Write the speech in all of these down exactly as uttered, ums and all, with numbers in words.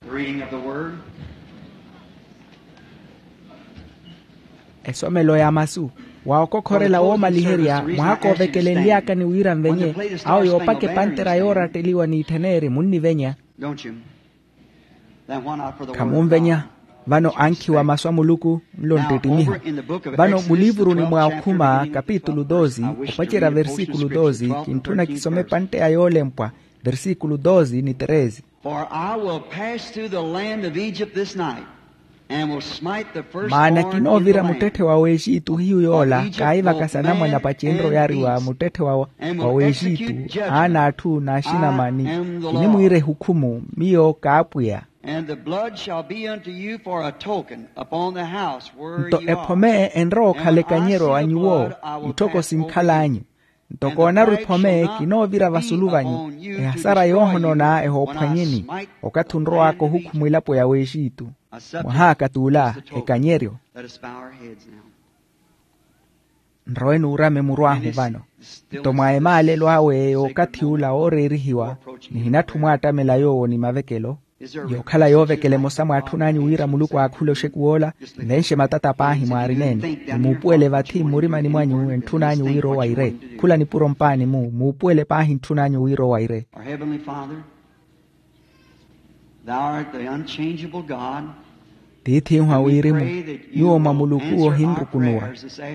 The reading of the word. Esomelo ya masu. Wa okokhorela woomaliherya mwaha koovekelenly'aka ni wira nvenye awo yoopaka epantera yooratteliwa n'ittheneri munnivenya. Don't you? Then why not for the word of God? Khamunvenya. Vano ankhiwa masu a muluku nlo nttittimiho. Vano muliivuruni mwa okhuma kapitulu doze opacerya versikulu doze kintthuna kisome epantte ya yoolempwa versikulu doze ni treze. For I will pass through the land of Egypt this night, and will smite the firstborn in the land. Maana kinoovira muttetthe wa w'exitu hiyu yoola kaahivakasa anamwane apacenryo yaariwa muttetthe wa w'exitu aana atthu n'axinamani. Kinimwiira ehukhumu miyo kaapwiya. And the blood shall be unto you for a token upon the house where you are. Nto ephome enrowa okhala ekanyeryo a nyuwo. Itthoko sinkhal'anyu. Nto koonarwa ephome kinoovira vasulu vanyu ehasara yoohonona ehoophwanyeni okathi onrow'aka ohukhumwa elapo ya w'exitu. Mwaha akat'ula ekanyeryo. Nrowe nuurame muru ahu vano. Nto mwa emaalelo awe y'okathi ula ooreerihiwa nihinatthi omwaattamela yoowo ni mavekelo. Yookhala yoovekela emosa mwaatthun'anyu wira muluku aakhule oxekuw'ola. Nvenxe matata paahi mwaarineene ni muupuwele vathi mmurimani mwanyu entthun'anyu wira owaire. Khula nipuro mpaani-mu muupuwele paahi ntthun'anyu wira owaire. Our Heavenly Father, Thou art the unchangeable God. Tiith'ihu a wirimu. Nyuwo mwa muluku ohinrukunuwa.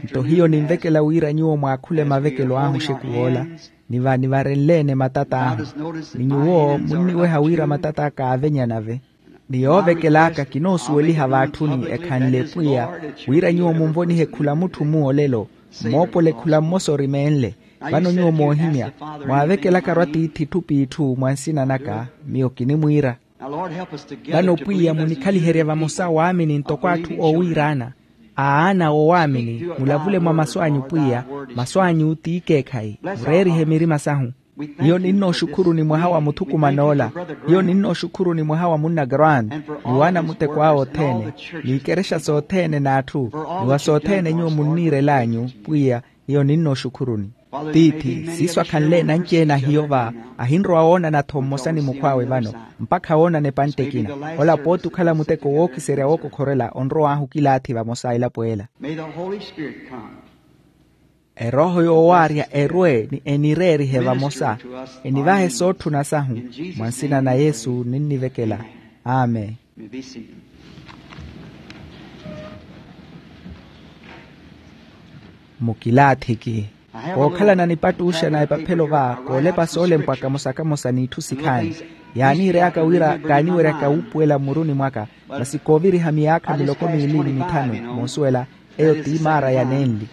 Nto hiyo ninvekela wira nyuwo mwaakhule mavekelo ahu oxekuw'ola. Ni va nivarenle-ene matata ahu. Ni nyuwo munniweha wira matata kaavenya nave. Ni yoovekel'aka kinoosuweliha vaatthuni ekhanle pwiya wira nyuwo munvonihe khula mutthu-mu olelo. Mmoopole khula mmosa orimeenle. Vano nyuwo moohimya mwaavekelaka-ro atiithi itthu p'itthu mwa nsina naka. Miyo kinimwiira. Vano pwiya munikhaliherye vamosa waamini ntoko atthu oowiiraana. Aana oowaamini mulavule mwa masu anyu pwiya. Masu anyu ti ikeekhayi. Mureerihe mirima sahu. Hiyo ninnooxukhuruni mwaha wa muthukuman'ola. Hiyo ninnooxukhuruni mwaha wa munna grant ni waana muteko awe othene. Ni ikerexa sothene n'atthu ni wa sothene nyuwo munniirel'anyu pwiya. Hiyo ninnooxukhuruni. Tiithi siiso akhanle nanci-ene ahiyo va ahinrowa woonana-tho mmosa ni mukhw'awe vano. Mpakha woonana epantte ekina. Ola pooti okhala muteko wookiserya wookokhorela onrow'ahu okilaathi vamosa elapo ela. May the Holy Spirit come. Erooho yoowaarya erwe ni enireerihe vamosa. Enivahe sootthuna sahu. Mwa nsina na yesu ninnivekela. Amen. Mukilaathiki. Kookhalana nipattuxa na epaphelo va koolepa soolempwa kamosa kamosa n'itthu sikhaani. Yaaniireyaka wira kaaniweryaka wuupuwela mmuruni mwaka. Masi kooviriha miyaakha miloko miili ni mithanu moosuwela. Eyo ti maara ya nenli.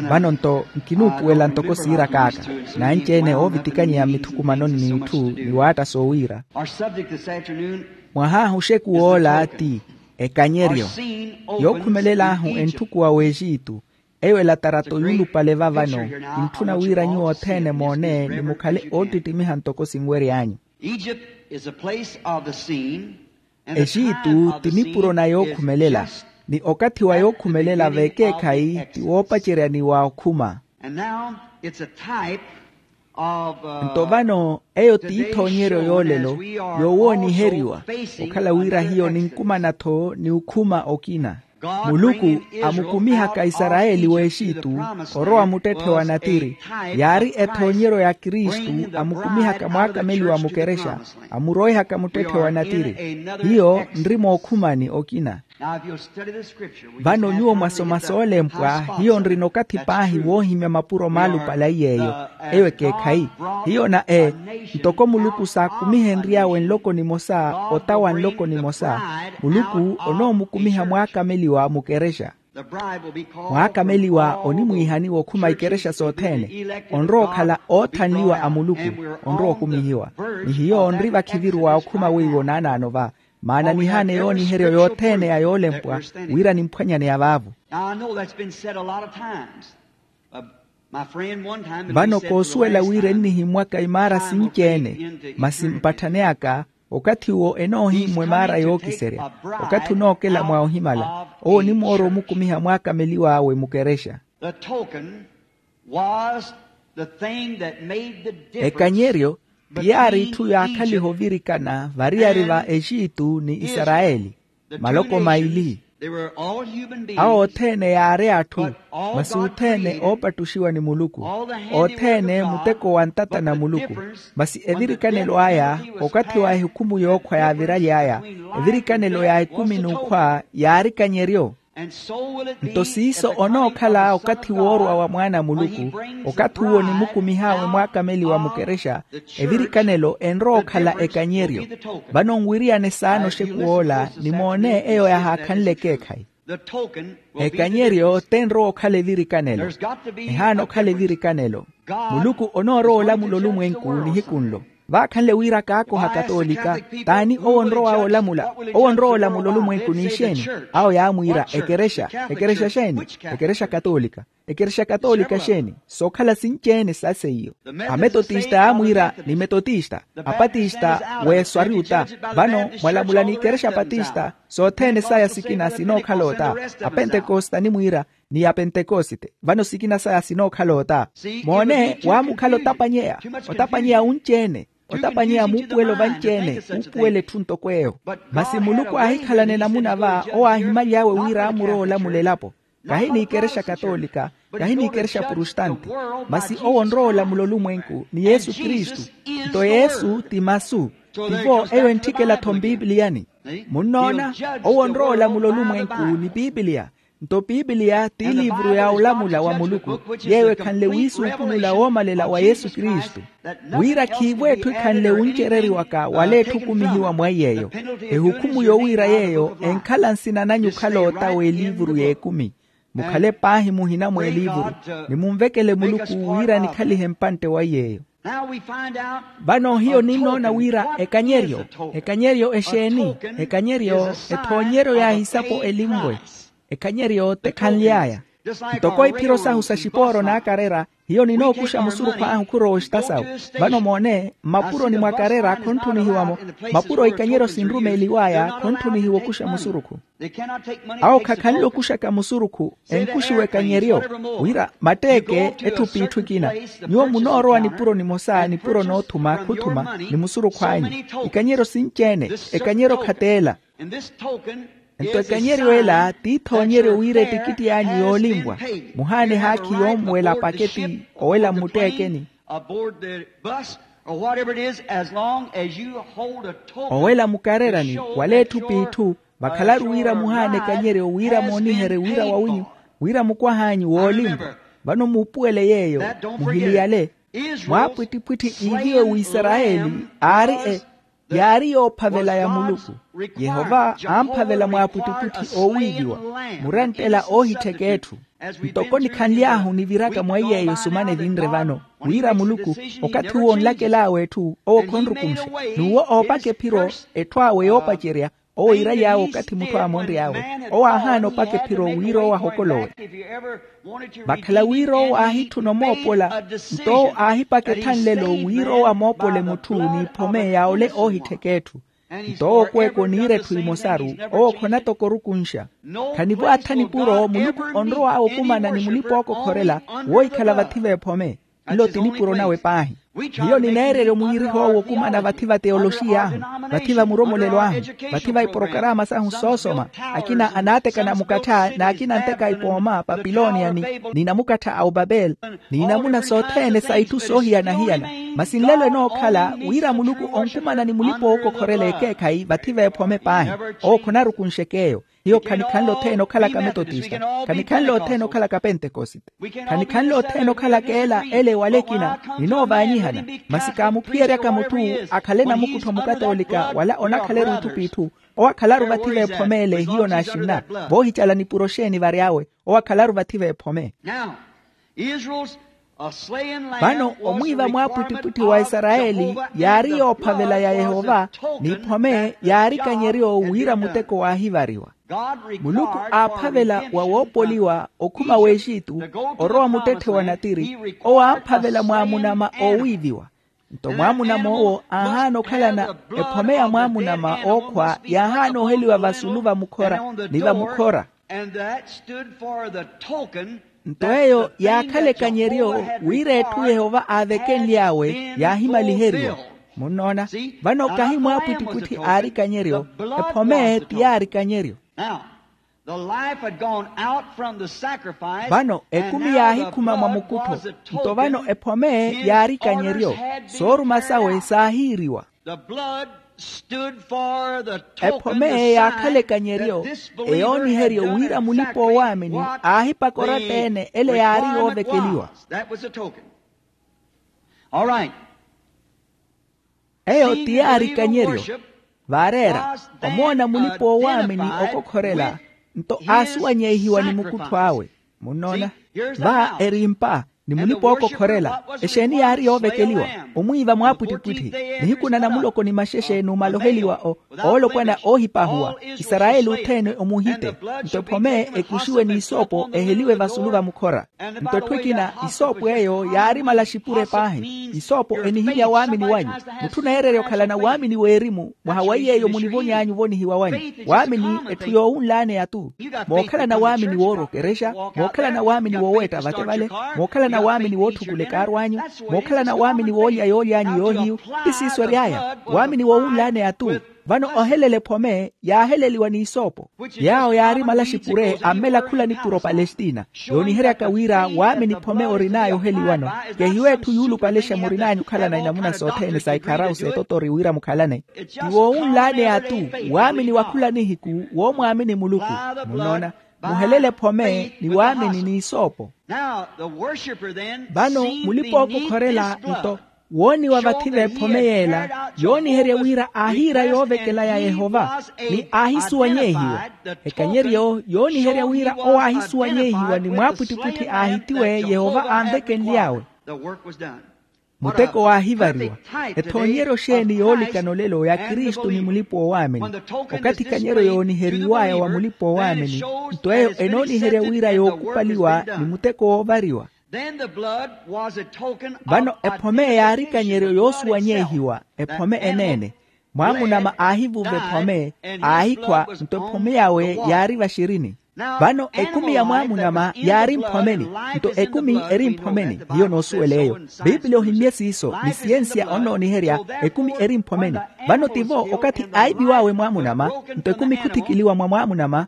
Vano nto nkinuupuwela ntoko siirak'aka. Nanci-ene oovitikanyeya mmithukumanoni n'itthu ni waatta soowiira. Mwahaahu oxekuw'ola ti ekanyeryo. Yookhumelela ahu entthukuwa w'exitu. Eyo elatarato yuulupale va vano. Kintthuna wira nyuwo othene moone ni mukhale oottittimiha ntoko sinwery'anyu. Egypt is a place of the scene. Exitu ti nipuro na yookhumelela. Ni okathi wa yookhumelela v'ekeekhayi ti woopacerya ni wa okhuma. Nto vano eyo ti ithoonyeryo yoolelo yoowooniheriwa. Okhala wira hiyo ninkumana-tho ni okhuma okina. Muluku amukumihaka isarayeli w'exitu orowa muttetthe wa natiri. Yaari ethoonyeryo ya kristu amukumihaka mwaakameliwa mukerexa. Amuroihaka muttetthe wa natiri. Hiyo nri mookhumani okina. Vano nyuwo mwasoma soolempwa hiyo nrina okathi paahi woohimya mapuro maalupale a iy'eyo. Eyo ekeekhayi. Hiyo na e ntoko muluku saakumihenry'awe nloko nimosa ota wa nloko nimosa. Muluku onoomukumiha mwaakameliwa mukerexa. Mwaakameliwa onimwiihani wookhuma ikerexa sothene. Onrowa okhala oothanliwa a muluku. Onrowa okumihiwa. Ni hiyo nri vakhiviru wa okhuma weiwo naanaano va. Maana nihaane yooniheryo yothene ya yoolempwa wira nimphwanyaneya vaavu. Vano koosuwela wira ennihimmwaka imaara sinci-ene. Masi mpatthaneyaka okathi uwo enoohimmwa emaara yookiserya. Okathi onookela mwa ohimala owo onimoora omukumiha mwaakameliw'awe mukerexa. Ekanyeryo Ti yaari itthu yaakhaliha ovirikana variyari va exitu ni isarayeli, maloko maili. Awo othene yaari atthu, masi othene oopattuxiwa ni muluku, othene muteko wa ntata na muluku. Masi evirikanelo aya, okathi wa ehukhumu yookhwa yaaviraly'aya, evirikanelo ya ekumi n'ukhwa yaari kanyeryo. Nto siiso onookhala okathi woorwa wa mwaana a muluku, okathi uwo onimukumih'awe mwaakameli wa mukerexa, evirikanelo enrowa okhala ekanyeryo. Vano nwiriyane saana oxekuw'ola ni moone eyo yahaakhanle ekeekhayi. Ekanyeryo tenrowa okhala evirikanelo. Ehaana okhala evirikanelo. Muluku onoorowa olamula olumwenku nihiku nlo. Vaakhanle wira kaakoha katoolika. T'ani owo onrow'awe olamula? Owo onrowa olamula olumwenku n'ixeeni? Awo yaamwiira ekerexa. Ekerexa xeeni? Ekerexa katoolika. Ekerexa katoolika xeeni? Sookhala sinci-ene sa seiyo. Ametotista yaamwiira ni metotista, apatista w'eswari ota. Vano mwalamula n'ikerexa apatista, sothene saya sikina sinookhala ota. Apentekoste animwiira ni apentekoste, vano sikina saya sinookhala ota. Moone waamukhala otapanyeya, otapanyeya wunci-ene, otapanyeya muupuwelo vanci-ene, uupuwela etthu ntoko eyo. Masi muluku aahikhalana enamuna va owo aahimaly'awe wira aamurowa olamula elapo. Kahi n'ikerexa katoolika, kahi n'ikerexa prustanti, masi owo onrowa olamula olumwenku ni yesu kristu. Nto yesu ti masu. Tivo eyo entthikela-tho mpipiliyani. Munnoona? Owo onrowa olamula olumwenku ni pipiliya. Nto pipiliya ti eliivuru ya olamula wa muluku, yeeyo ekhanle wiisuupulula woomalela wa yesu kristu, wira khiivo etthu ekhanle wuncereriwaka wala etthu okumihiwa mwa iy'eyo. Ehukhumu yowiira yeeyo enkhala nsina nanyu okhala ota w'eliivuru y'ekumi. Mukhale paahi muhina mw'eliivuru, ni munvekele muluku wira nikhalihe mpantte wa iy'eyo. Vano hiyo ninnoona wira ekanyeryo, ekanyeryo exeeni? Ekanyeryo ethoonyeryo ya ehisapo elinvwe. Ekanyeryo tekhanly'aya. Ntoko iphiro sahu sa xipooro n'akarera, hiyo ninookuxa musurukhu ahu khurowa oxita sawe. Vano moone, mmapuroni mwa karera khontthunihiwa-mo. Mapuro ikanyeryo sinrumeeliw'aya khontthunihiwa okuxa musurukhu. Awo khakhanle okuxaka musurukhu, enkuxiwe ekanyeryo, wira matteeke etthu p'itthu ekina. Nyuwo munoorowa nipuro nimosa nipuro noothuma khuthuma ni musurukhu anyu. Ikanyeryo sinci-ene, ekanyeryo khateela. Nto ekanyeryo ela t'ithoonyeryo wira etikitti anyu yoolinvwa, muhaana ehaakhi yoomuwela paketi owela mmutteekeni, owela mukarerani wala etthu p'itthu. Vakhalaru wira muhaana ekanyeryo wira mooniherye wira wawinyu, wira mukwah'anyu woolinvwa. Vano muupuwele yeeyo, muhiliyale. Mwaapwittipwitthi iviwe w'isarayeli aari e yaari yoophavela ya muluku. Yehova amphavela mwaapwittipwitthi oowiiviwa, murenttela oohittheka etthu. Ntoko nikhanly'ahu niviraka mwa iy'eyo sumana evinre vano, wira muluku, okathi uwo onlakel'awe etthu owo khonrukunxa. N'uwo oopaka ephiro, etthu awe yoopacerya, owo iiraly'awe okathi mutthu aamonry'awe. Owo aahaana opaka ephiro wira owo ahokolowe. Vakhala wira owo aahitthuna omoopola, nto owo aahipaka etthanlelo wira owo amoopole mutthu n'iphome ya ole oohittheka etthu. Nto owo okweeka oniira etthu emosaru, owo khona toko orukunxa. Khanivo atha nipuro muluku onrow'awe okumana ni mulipa-ookokhorela woohikhala vathi v'ephome. Nlo ti nipuro nawe paahi. Hiyo nineererya omwiiriho owo okumana vathi va teyoloxiy'ahu, vathi va muromolelo ahu, vathi va iporokarama sahu soosoma. Akina anaatekana mukattha n'akina anteka ipooma papiloniya ni, ni namukattha a opapeli, ni namuna sothene sa itthu soohiyana-hiyana. Masi nlelo enookhala wira muluku onkumana ni mulipa-ookokhorela ekeekhayi vathi v'ephome paahi. Owo khonarukunxek'eyo. Hiyo khanikhanle othene okhalaka metotista, khanikhanle othene okhalaka pentekosite, khanikhanle othene okhalaka ela ele wala ekina. Ninoovaanyihana. Masi kaamuphiyeryaka mutthu akhale namukuttho mukatoolika wala onakhaleru itthu p'itthu. Owo akhalaru vathi v'ephome ele hiyo naaxinna. Voohicala nipuro xeeni vary'awe? Owo akhalaru vathi v'ephome. Vano omwiiva mwaapwittipwitthi wa isarayeli yaari yoophavela ya yehova, n'iphome yaari kanyeryo wira muteko waahivariwa. Muluku aaphavela wa woopoliwa okhuma w'exitu, orowa muttetthe wa natiri. Owo aamphavela mwaamunama oowiiviwa. Nto mwaamunama owo aahaana okhalana ephome ya mwaamunama ookhwa yaahaana oheliwa vasulu vamukhora ni vamukhora. Nto eyo yaakhala ekanyeryo wira etthu yehova aavekenly'awe yaahimaliheriwa. Munnoona? Vano kahi mwaapwittipwitthi aari ikanyeryo. Ephome ti yaari ikanyeryo. Now, the life had gone out from the sacrifice. Vano ekumi yaahikhuma mwa mukuttho. Nto vano ephome yaari ikanyeryo. Sooruma sawe saahiiriwa. The blood stood for the token, the sign, that this was the Lord. Ephome yaakhala ekanyeryo, eyooniheryo wira mulipa-owaamini aahipaka oratta-ene ele yaari yoovekeliwa. That was the token. All right. Eyo ti yaari ikanyeryo. Vaareera, omoona mulipa-owaamini okokhorela, nto aasuwanyehiwa ni mukuttho awe. Munnoona? Va erimpa ni mulipa-ookokhorela, exeeni yaari yoovekeliwa? Omwiiva mwaapwittipwitthi. Nihiku na namuloko ni maxexe n'umaloheliwa oolopwana oohipahuwa. Isarayeli othene omuhite. Nto ephome ekuxiwe n'isoopo eheliwe vasulu va mukhora. Nto etthu ekina, isoopo eyo yaari malaxipure paahi. Isoopo enihimya waamini wanyu. Mutthu oneererya okhalana waamini w'erimu mwaha wa iy'eyo munivony'anyu ovonihiwa wanyu. Waamini etthu yoowunlaaneya-tu. Mookhalana waamini woorwa okerexa, mookhalana waamini wooweetta vate vale, mookhalana waamini wootthukula ekaaru anyu, mookhalana waamini woolya yooly'anyu yoohiyu. Ti siiso ery'aya waamini woowunlaaneya-tu. Vano ohelela ephome yaaheleliwa n'isoopo. Yaawo yaari malaxipure ammela khula nipuro opalestina. Yooniheryaka wira waamini phome orin'aya oheliwano. Kehiwe etthu yuulupalexa murin'anyu okhalana inamuna sothene sa ikharau s'etotori wira mukhalane. Ti woowunlaaneya-tu. Waamini wa khula nihiku woomwaamini muluku. Munnoona? Muhelele phome ni waamini n'isoopo. Vano mulipa-ookokhorela nto wooniwa vathi v'ephome yeela yooniherya wira aahiira yoovekela ya yehova ni aahisuwanyehiwa. Ekanyeryo yooniherya wira owo aahisuwanyehiwa ni mwaapwittipwitthi aahitiwe yehova aanvekenly'awe. Muteko waahivariwa. Ethoonyeryo xeeni yoolikana olelo ya kristu ni mulipa-oowaamini? Okathi ekanyeryo yooniheriw'aya wa mulipa-oowaamini nto eyo enooniherya wira yookupaliwa ni muteko woovariwa. Vano ephome yaari ikanyeryo yoosuwanyehiwa ephome eneene. Mwaamunama aahivuva ephome aahikhwa nto ephome yawe yaari vaxirini. Vano ekumi ya mwaamunama yaari mphomeni. Nto ekumi eri mphomeni hiyo noosuwela eyo. Piipili ohimmye siiso ni siyensiya onnooniherya ekumi eri mphomeni. Vano tivo okathi aiviw'awe mwaamunama nto ekumi khuthikiliwa mwa mwaamunama.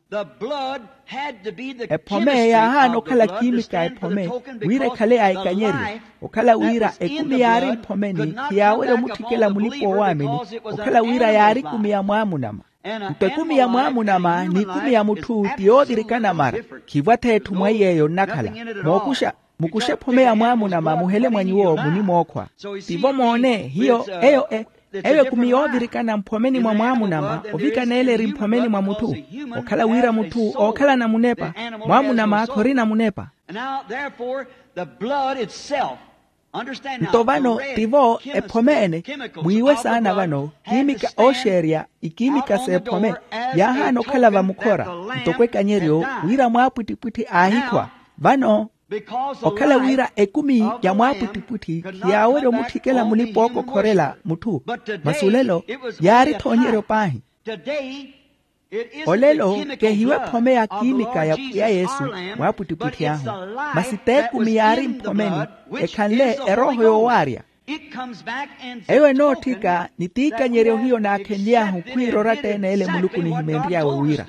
Ephome yaahaana okhala kiimika ephome wira ekhale ya ikanyeryo. Okhala wira ekumi yaari mphomeni khiyaawerya omutthikela mulipa-oowaamini. Okhala wira yaari ekumi ya mwaamunama. Nto ekumi ya mwaamunama n'ekumi ya mutthu ti yoovirikana mara. Khiivwa-tho etthu mwa iy'eyo nnakhala. Mookuxa mukuxe ephome ya mwaamunama muhele mwa nyuwo munimookhwa. Tivo moone hiyo eyo e eyo ekumi yoovirikana mphomeni mwa mwaamunama ovikana ele eri mphomeni mwa mutthu. Okhala wira mutthu ookhalana munepa mwaamunama khorina munepa. Nto vano tivo ephome ene mwiiwe saana vano kiimika ooxeerya ikiimika s'ephome yaahaana okhala vamukhora ntoko ekanyeryo wira mwaapwittipwitthi aahikhwa. Vano okhala wira ekumi ya mwaapwittipwitthi khiyaawerya omutthikela mulipa-ookokhorela mutthu. Masi olelo yaari ethoonyeryo paahi. Olelo kehiwe ephome ya kiimika ya pwiya yesu mwaapwittipwitthi ahu. Masi t'ekumi yaari mphomeni ekhanle erooho yoowaarya. Eyo enootthika ni t'ikanyeryo hiyo naakhenly'ahu khwiira oratta-ene ele muluku nihimenry'awe wira.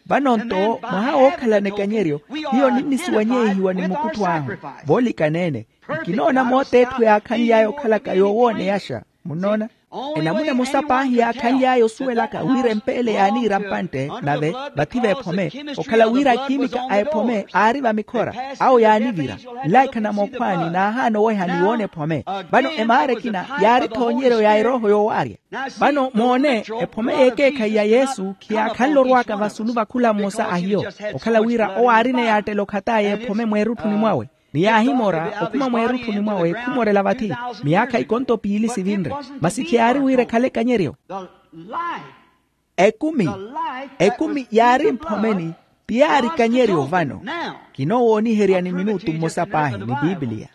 Vano-nto mwaha wookhalana ekanyeryo hiyo ninnisuwanyehiwa ni mukuttho ahu. Voolikana-ene nkinoona moota etthu yaakhanly'aya okhalaka yoowooneyaxa. Munnoona? Enamuna emosa paahi yaakhanly'aya osuwelaka wira empeele yaaniira mpantte nave vathi v'ephome okhala wira akiimika a ephome aari vamikhora awo yaanivira. Nlaikha na mookhwaani naahaana oweha ni woona ephome. Vano emaara ekina yaari ethoonyeryo ya erooho yoowaarya. Vano moone ephome y'ekeekhayi ya yesu khiyaakhanle orw'aka vasulu va khula mmosa a hiyo. Okhala wira owo aarina eyaattela okhat'aya ephome mweerutthuni mwawe ni yaahimora okhuma mweerutthuni mwawe khumorela vathi. Myaakha ikonto piili sivinre masi khiyaari wira ekhale ekanyeryo. Ekumi ekumi yaari mphomeni ti yaari ekanyeryo vano. Kinoowooniherya ni minutu mmosa paahi ni piipiliya.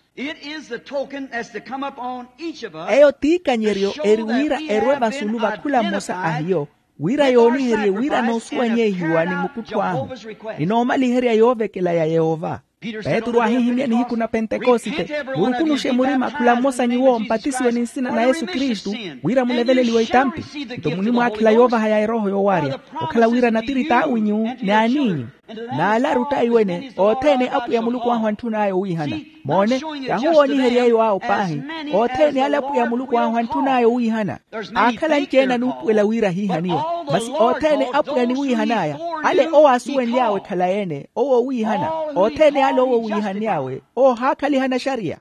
Eyo t'ikanyeryo eri wira erwe vasulu va khula mmosa a hiyo wira yooniherye wira noosuwanyehiwa ni mukuttho ahu ni noomaliherya yoovekela ya yehova. Petru aahihimya nihiku na pentekosite, murukunuxe murima khula mmosa nyuwo mpatisiwe ni nsina na yesu kristu, wira muleveleliwe itampi. Nto munimwaakhela yoovaha ya erooho yoowaarya, okhala wira natiri t'awinyu ni aniinyu. N'ala arutta iwene othene apwiya muluku ahu antthun'aya owiihana. Moone, kahuwooniherya eyo awo paahi. Othene ale apwiya muluku ahu antthun'aya owiihana. Aakhala anci-ene anuupuwela wira ahiihaniwe. Masi othene apwiya aniwiihan'aya, ale owo aasuwenly'awe khalayi-ene owo owiihana. Othene ale owo owiihanly'awe, owo ohaakhaliha anaxariya.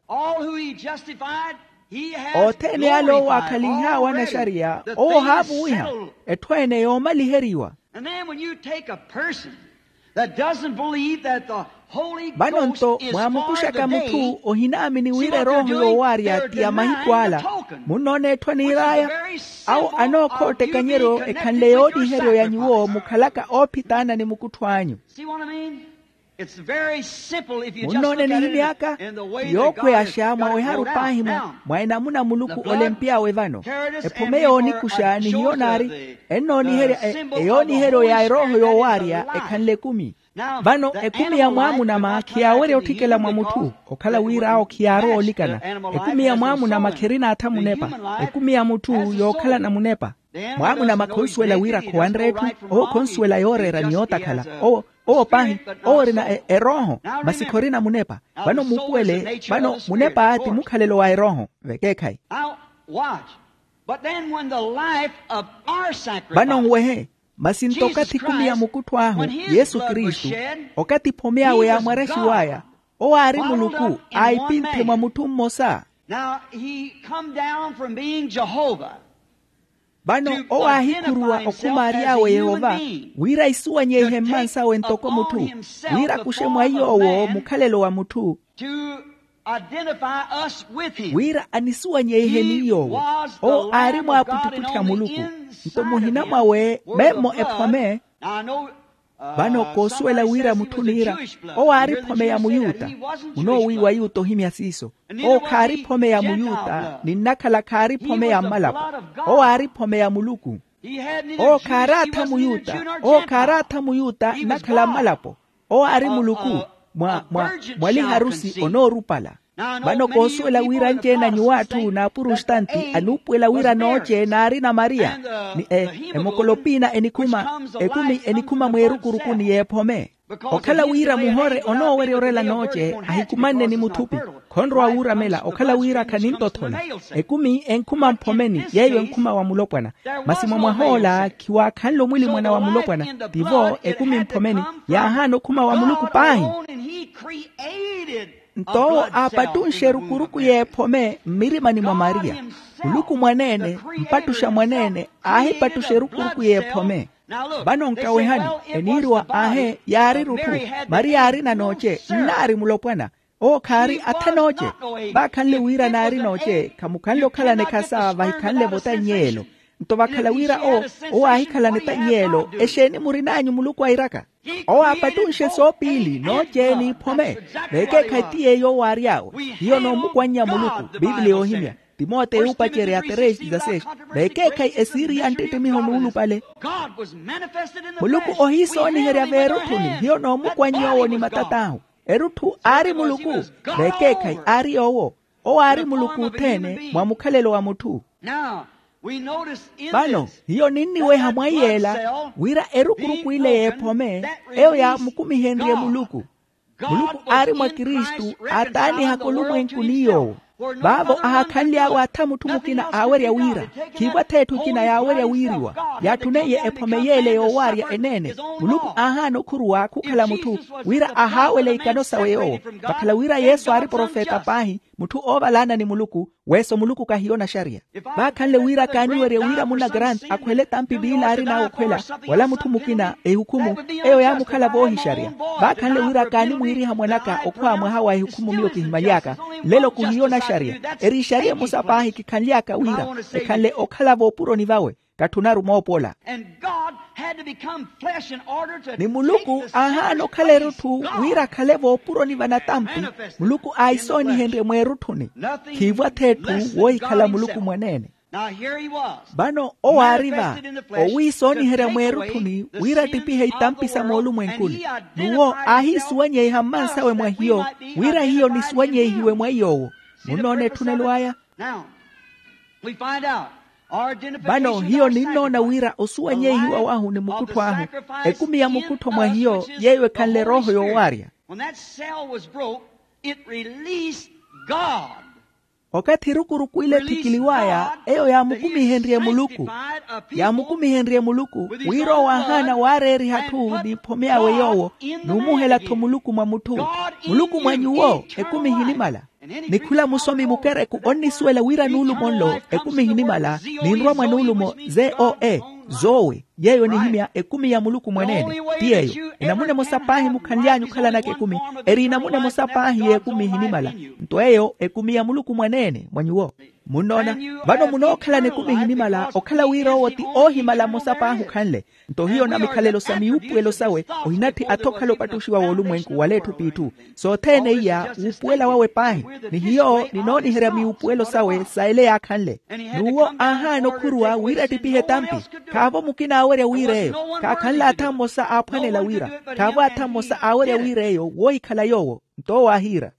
Othene ale owo aakhalinh'awe anaxariya, owo ohaavuwiha. Etthu ene yoomaliheriwa. And then when you take a person that doesn't believe that the Holy Ghost is for the day, vano nto mwaamukuxaka mutthu ohinaamini wira erooho yoowaarya ti ya mahiku ala. Munnoona etthu aniir'aya? Awo anookhoota ekanyeryo ekhanle yooniheryo ya nyuwo mukhalaka oophitaana ni mukuttho anyu. See what I mean? It's very simple if you just munnoone look at it nihimy'aka. In the way that God has yookhweyaxa got it mwaweharu worked out. Paahi mwa mwa enamuna muluku olempy'awe vano. Ephome yoonikuxa ni hiyo naari ennooniherya eyooniheryo ya erooho yoowaarya ekhanle ekumi. Vano ekumi ya mwaamunama khiyaawerya otthikela mwa mutthu, okhala wira awo khiyaarowa olikana. Ekumi ya mwaamunama kherina atha munepa. Ekumi ya mutthu yookhalana munepa. Mwaamunama khonsuwela wira khowanre etthu. Owo khonsuwela yooreera ni yootakhala. Owo owo paahi, owo orina erooho. Masi khorina munepa. Vano muupuwele vano munepa ti mukhalelo wa erooho. Vekeekhayi. Vano nwehe. Masi nto okathi ekumi ya mukuttho ahu, yesu kristu, okathi ephome awe yaamwarexiw'aya, owo aari muluku, aipinthe mwa mutthu mmosa. Now he come down from being Jehovah. Vano owo aahikhuruwa okhumaary'awe yehova, wira isuwanyeihe mmansawe ntoko mutthu, wira akuxe mwa iy'owo mukhalelo wa mutthu. To identify us with him. Wira anisuwanyeihe ni iy'owo. Owo aari mwaaputtiputti a muluku. Nto muhina mwawe memmo ephome. Vano koosuwela wira mutthu niira, owo aari phome ya muyuta. Munoowiiwa yuta ohimya siiso. Owo khaari phome ya muyuta ni nnakhala khaari phome ya mmalapo. Owo aari phome ya muluku. Owo khaaraatha muyuta. Owo khaaraatha muyuta nnakhala mmalapo. Owo aari muluku mwa mwa mwa liharusi onoorupala. Vano koosuwela wira anci-ene a nyuwo atthu n'apurustanti anuupuwela wira nooce naarina mariya, ni e emokolopiina enikhuma ekumi enikhuma mweerukurukuni y'ephome. Okhala wira muhore onoowerya orela nooce ahikumanne ni muthupi, khonrowa wuuramela okhala wira khanintothola. Ekumi enkhuma mphomeni yeeyo enkhuma wa mulopwana. Masi mwa mwah'ola khiwaakhanle omwilimwana wa mulopwana. Tivo ekumi mphomeni yaahaana okhuma wa muluku paahi. Nto owo aapattunxe erukuruku y'ephome mmirimani mwa mariya. Muluku mwaneene mpattuxa mwaneene aahipattuxa erukuruku y'ephome. Vano nkawehani, eniiriwa aahe yaari erutthu. Mariya aarina nooce nnaari mulopwana. Owo khaari atha nooce. Vaakhanle wira naari nooce khamukhanle okhalana ekhasa vahikhanle-vo tanyeelo. Nto vakhala wira owo owo aahikhalana etanyeelo exeeni murin'anyu muluku airaka? Owo aapattunxe soopiili nooce n'iphome. Vekeekhayi ti yeeyo owaary'awe hiyo noomukwannya muluku. Piipiliya yoohimya timoteyo yuupacerya três dezasseis. Vekeekhayi esiiri ya nttittimiho nuulupale. Muluku ohiisooniherya veerutthuni hiyo noomukwannya owo ni matat'ahu. Erutthu aari muluku. Vekeekhayi aari yoowo. Owo aari muluku othene mwa mukhalelo wa mutthu. Vano hiyo ninniweha mwa iy'ela wira erukuruku ile y'ephome eyo yaamukumihenrye muluku. Muluku aari mwa kristu aataanihaka olumwenku ni yoowo. Vaavo ahaakhanly'awe atha mutthu mukina aawerya wira khiivo atha etthu ekina yaawerya wiiriwa. Yaatthuneiye ephome y'ele yoowaarya eneene. Muluku aahaana okhuruwa khukhala mutthu wira ahaawele ikano sawe yoowo. Vakhala wira yesu aari profeta paahi mutthu oovalaana ni muluku. Weeso muluku kahiyo naxariya. Vaakhanle wira kaaniwerye wira munna grant akhwele tampi piili aarin'awe okhwela wala mutthu mukina ehukhumu eyo yaamukhala voohixariya. Vaakhanle wira kaanimwiiriha mwan'aka okhwa mwaha wa ehukhumu miyo kihimaly'aka. Nlelo khuhiyo naxariya. Eri ixariya emosa paahi kikhanly'aka wira ekhanle okhala voopuroni vawe. Katthunaru moopola. Ni muluku aahaana okhala erutthu wira akhale voopuroni va natampi. Muluku aahisoonihenrye mweerutthuni. Khiivo atha etthu woohikhala muluku mwaneene. Vano owo aari va, owiisooniherya mweerutthuni wira attipihe itampi sa moolumwenkuni. N'uwo aahiisuwanyeiha mmansawe mwa hiyo, wira hiyo nisuwanyeihiwe mwa iy'owo. Munnoona etthunelo aya? Vano hiyo ninnoona wira osuwanyeihiwa wahu ni mukuttho ahu, ekumi ya mukuttho mwa hiyo yeeyo ekhanle erooho yoowaarya. Okathi erukuruku ile ethikiliw'aya, eyo yaamukumihenrye muluku. Yaamukumihenrye muluku wira owo aahaana waareeriha atthu n'iphome awe yoowo, n'umuhela-tho muluku mwa mutthu. Muluku mwa nyuwo ekumi ehinimala. Ni khula musomi mukereku onnisuwela wira nuulumo nlo ekumi ehinimala, ninrwa mwa nuulumo zoe, zoe. Yeeyo nihimya ekumi ya muluku mwaneene. Ti yeeyo enamuna emosa paahi mukhanly'anyu okhalanaka ekumi, eri enamuna emosa paahi y'ekumi ehinimala. Nto eyo ekumi ya muluku mwaneene mwa nyuwo. Munnoona? Vano munookhalana ekumi ehinimala okhala wira owo ti oohimala mmosa paahi okhanle. Nto hiyo na mikhalelo sa miwuupuwelo sawe ohinatthi atha okhala opattuxiwa w'olumwenku wala etthu p'itthu. Sothene iya wuupuwela wawe paahi. Ni hiyo ninooniherya miwuupuwelo sawe sa ele yaakhanle. N'uwo aahaana okhuruwa wira attipihe etampi. Khaavo mukina aawerya wira eyo. Khaakhanle atha mmosa aaphwanela wira, khaavo atha mmosa aawerya wira eyo woohikhala yoowo. Nto owo aahiira.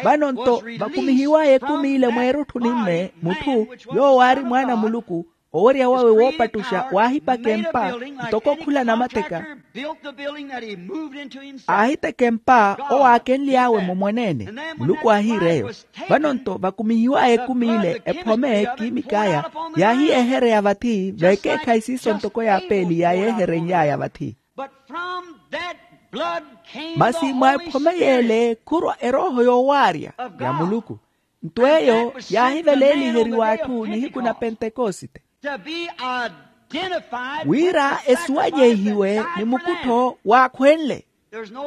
Vano nto vakumihiw'aya ekumi ile mweerutthuni mme, mutthu yoowo aari mwaana a muluku, owerya wawe woopattuxa waahipaka empa ntoko khula namatteka. Aahiteka empa owo aakenly'awe-mo mwaneene. Muluku aahiira eyo. Vano nto vakumihiw'aya ekumi ile ephome kiimik'aya yaahiyehereya vathi veekeekhayi siiso ntoko y'apeeli yaayeeherenly'aya vathi. Masi mwa ephome y'ele khurwa erooho yoowaarya ya muluku. Nto eyo yaahiveleeliheriwa atthu nihiku na pentekosite, wira esuwanyeihiwe ni mukuttho waakhwenle.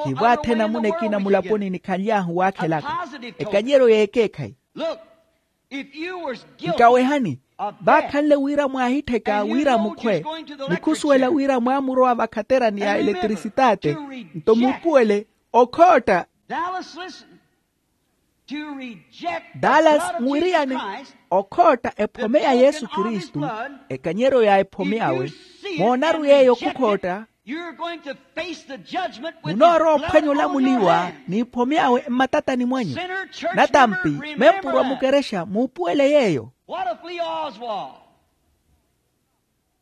Khivo athe namuna ekina mulaponi nikhanly'ahu waakhelaka ekanyeryo y'ekeekhayi. Nkawehani, vaakhanle wira mwaahittheka wira mukhwe, ni khusuwela wira mwaamurowa vakhaterani ya eletrisitate, nto muupuwele okhootta. Dallas nwiriyane okhootta ephome ya yesu kristu, ekanyeryo ya ephome awe. Moonaru yeeyo khukhootta. Munoorowa ophwanya olamuliwa n'iphome awe mmatatani mwanyu. Natampi, mempurwa mukerexa muupuwele yeeyo.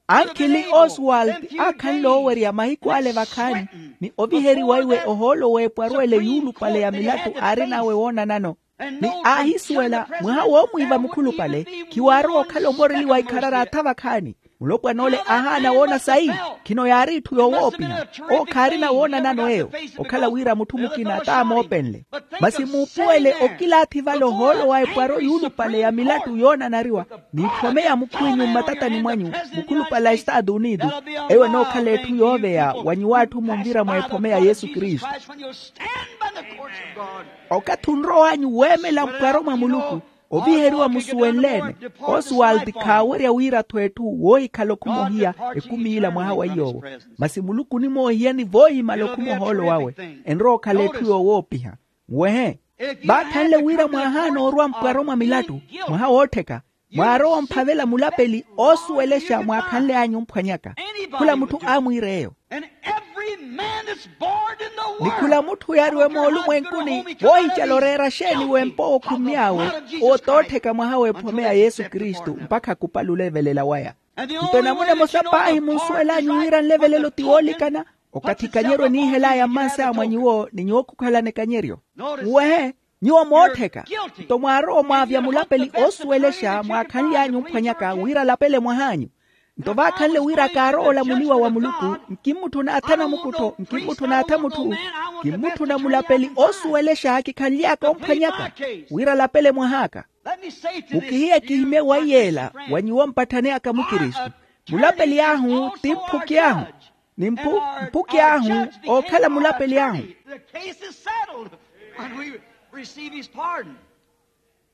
Ankhili oswald aakhanle oowerya mahiku ale vakhaani, ni oviheriwa iwe ohoolo w'epwarwele yuulupale ya milattu aarin'awe woonanano. Ni aahisuwela mwaha woomwiiva mukhulupale, khiwaarowa okhala omoreliwa ikharari atha vakhaani. Mulopwan'ole aahaana woona sayi. Khino yaari itthu yoowoopiha. Owo khaarina woonanano eyo, okhala wira mutthu mukina taamoopenle. Masi muupuwele okilaathi vale ohoolo wa epwaro yuulupale ya milattu yoonanariwa, n'iphome ya mukhwinyu mmatatani mwanyu, mukhulupale a estatu unitu. Eyo enookhala etthu yooveya wa nyuw'atthu munvira mwa ephome ya yesu kristu. Okathi onrow'anyu weemela mpwaro mwa muluku, oviheriwa musuwenle-ene. Oswald khaawerya wira-tho etthu woohikhala okhumohiya ekumi ila mwaha wa iy'owo. Masi muluku onimoohiyani voohimala okhuma ohoolo wawe. Enrowa okhala etthu yoowoopiha. Nwehe, vaakhanle wira mwaahaana orwa mpwaro mwa milattu, mwaha woottheka, mwaarowa omphavela mulapeli oosuwelexa mwaakhanle'anyu omphwanyaka. Khula mutthu aamwiira eyo. Ni khula mutthu yaariwe moolumwenkuni voohicala oreera xeeni w'empa owo khummy'awe, owo t'ottheka mwaha w'ephome ya yesu kristu mpakha khupalule evelela waya. Nto enamuna emosa paahi munsuwel'anyu wira nlevelelo ti woolikana, okathi ekanyeryo eniihel'aya mmansaya mwa nyuwo ni nyuwo khukhalana ekanyeryo. Nwehe, nyuwo moottheka. Nto mwaarowa omwaavya mulapeli oosuwelexa mwaakhanly'anyu omphwanyaka wira alapele mwah'anyu. Nto vaakhanle wira kaarowa olamuliwa wa muluku, nkimmutthuna atha namukuttho, nkimmutthuna atha mutthu, nkimmutthuna mulapeli oosuwelexa kikhanly'aka omphwanyaka wira alapele mwah'aka. Mukihiye kihimye wa iy'ela wa nyuwo mpatthani aka mukristu. Mulapeli ahu ti mphuki ahu, ni mphuki ahu ookhala mulapeli ahu.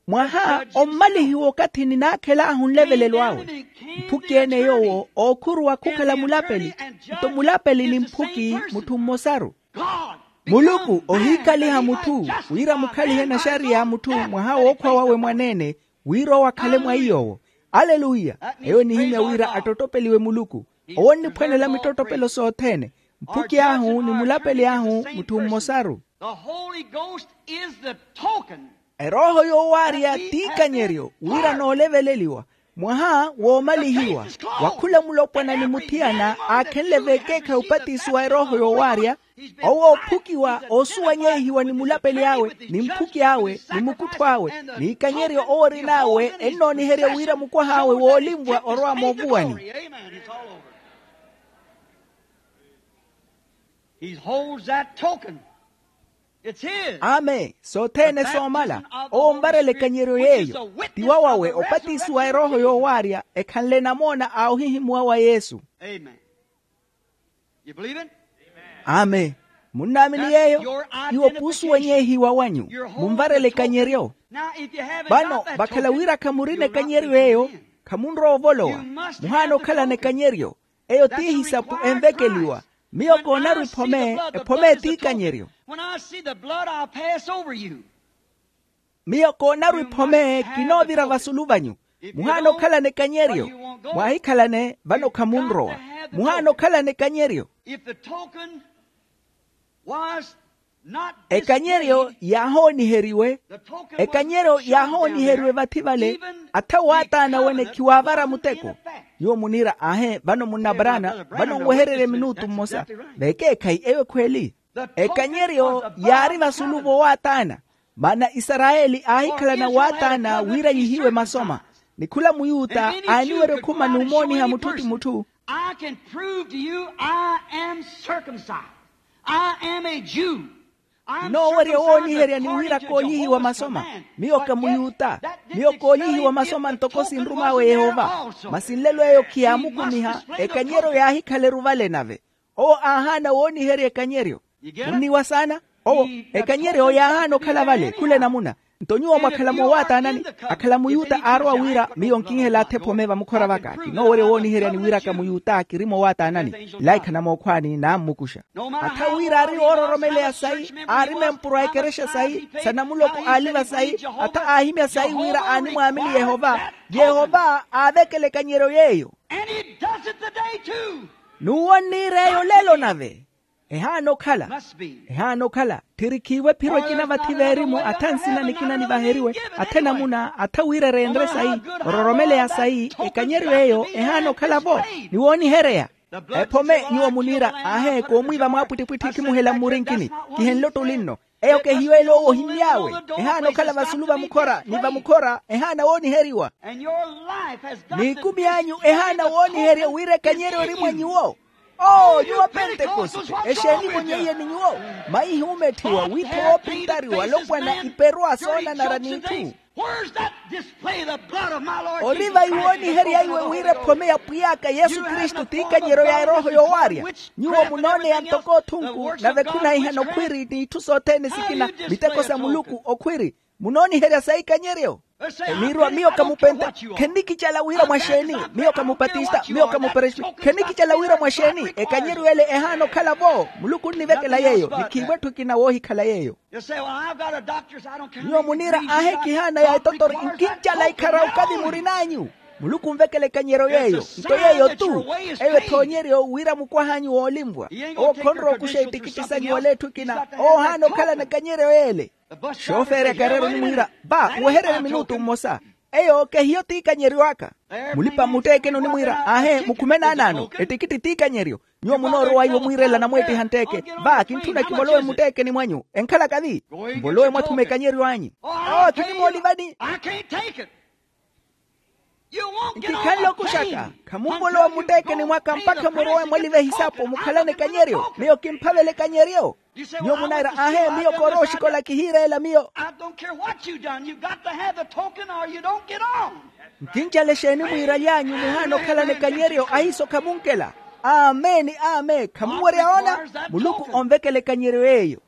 Mwaha ommalihiwa okathi ninaakhel'ahu nlevelelo awe. Mphuki-ene yoowo ookhuruwa khukhala mulapeli. Nto mulapeli ni mphuki mutthu mmosaru. Muluku ohiikaliha mutthu wira mukhalihe naxariya a mutthu mwaha wookhwa wawe mwaneene, Wira owo akhale mwa iy'owo. Aleluya. Eyo enihimya wira attottopeliwe muluku. Owo onniphwanela mittottopelo sothene. Mphuki ahu ni mulapeli ahu mutthu mmosaru. The holy ghost is the token. Erooho yoowaarya t'ikanyeryo wira nooleveleliwa mwaha woomalihiwa wa khula mulopwana ni muthiyana aakhenle vekeekhayi opatisiwa erooho yoowaarya. Owo oophukiwa oosuwanyehiwa ni mulapeli awe ni mphuki awe ni mukuttho awe n'ikanyeryo owo orin'awe ennooniherya wira mukwah'awe woolinvwa orwa moovuwani. He holds that token. It's his. Amen. Sothene soomala owo onvarela ekanyeryo yeeyo. Ti wawawe opatisiwa erooho yoowaarya ekhanle namoona a ohihimuwa wa yesu. Amen. Amen. Munnaamini yeeyo? Iwo puusuwanyehiwa wanyu. Munvarela ekanyeryo. Vano vakhala wira khamurina ekanyeryo eyo, khamunrowa ovolowa. Muhaana okhalana ekanyeryo. Eyo ti ehisapu envekeliwa. Miyo koonarwa ephome. Ephome ti ikanyeryo. Miyo koonarwa ephome kinoovira vasulu vanyu. Muhaana okhalana ekanyeryo. Mwaahikhalane vano khamunrowa. Muhaana okhalana ekanyeryo. Ekanyeryo yaahooniheriwe. Ekanyeryo yaahooniheriwe vathi vale. Atha waataana wene khiwaavara muteko. Nyuwo muniira aahe vano munnaparaana vano nwehererye minutu mmosa. Vekeekhayi eyo ekhweeli. Ekanyeryo yaari vasulu vowaataana. Maana isarayeli aahikhalana waataana wira yihiwe masoma. Ni khula muyuta aaniwerya okhuma n'umooniha mutthu ti mutthu. I can prove to you I am circumcised. I am a Jew. Kinoowerya owooniherya ni wira koonyihiwa masoma. Miyo ka muyuta. Miyo koonyihiwa masoma ntoko sinrum'awe yehova. Masi nlelo eyo khiyaamukumiha. Ekanyeryo yaahikhaleru vale nave. Owo aahaana wooniherya ekanyeryo. Munniwa saana. Owo ekanyeryo yaahaana okhala vale khula enamuna. Nto nyuwo mwakhala moowaataanani. Akhala muyuta aarowa wira miyo nkinhela atha ephome vamukhora vaka kinoowerya wooniherya ni wiraka muyuta kiri moowaataanani. Ila ikhana mookhwaani naammukuxa. Atha wira aari oororomeleya sayi aari mempuro a ekerexa sayi sa namuloko aaliva sayi. Atha aahimya sayi wira aanimwaamini yehova. Yehova aavekela ekanyeryo yeeyo. N'uwo nniira eyo lelo nave. Ehaana okhala. Ehaana okhala. Tthirikhiiwe ephiro ekina vathi veerimu atha nsina nikina nivaheriwe. Atha enamuna atha wira ereenre sayi ororomeleya sayi. Ekanyeryo eyo ehaana okhala-vo. Ni woonihereya. Ephome nyuwo muniira aahe koomwiiva mwaapwittipwitthi ekhimuhela mmurinkini. Kihenle ottulinno. Eyo kehiyo ele owo ohimmy'awe. Ehaana okhala vasulu vamukhora ni vamukhora ehaana wooniheriwa. N'ikumi anyu ehaana wooniherya wira ekanyeryo eri mwa nyuwo. Oo nyuwo pentekoste. Exeeni vonyeiyeni nyuwo? Maihi umetthiwa wiitho woopintari walopwana iperwa soonanara n'itthu. Ori vayi wooniheryaiwe wira ephome ya pwiy'aka yesu kristu t'ikanyeryo ya erooho yoowaarya. Nyuwo munooneya ntoko othunku nave khunahihana okhwiri n'itthu sothene sikina. Miteko sa muluku okhwiri. Munooniherya sayi ikanyeryo? Eniirwa miyo kamupenta. Khennikicala wira mwa xeeni? Miyo kamupatista miyo kamuperesbi khennikicala wira mwa xeeni? Ekanyeryo ele ehaana okhala-vo. Muluku onnivekela yeeyo nikhiiwa etthu ekina woohikhala yeeyo. Nyuwo muniira aahe kihaana ya etotori nkincala ikhara okavi murin'anyu. Muluku onvekela ekanyeryo yeeyo nto yeeyo-tu. Eyo ethoonyeryo wira mukwah'anyu woolinvwa. Owo khonrowa okuxa ettikitti sanyu wala etthu ekina owo ohaana okhalana ekanyeryo yeele. Xoofeerya kareera onimwiira va wehererye minutu mmosa. Eyo kehiyo t'ikanyeryo aka. Mulipa mmutteekeni onimwiira aahe mukhume naanaano ettikitti t'ikanyeryo. Nyuwo munoorowa iwo mwiirela namweettiha ntteeke. Va kintthuna kivolowe mmutteekeni mwanyu enkhalaka vi. Mvolowe mwathuma ekanyeryo anyu. Oo khinimoolivani. Nkikhanle okuxaka. Khamunvolowa mmutteekeni mwaka mpakha murowe mwaliva ehisapo mukhalane ekanyeryo miyo kimphavela ekanyeryo. Nyuwo munaira aahe miyo koorowa oxikola kihiireela miyo. Nkincala exeeni mwiiralyanyu muhaana okhalana ekanyeryo ahiiso khamunkela. Amen amen khamuwerya oona. Muluku onvekela ekanyeryo yeeyo.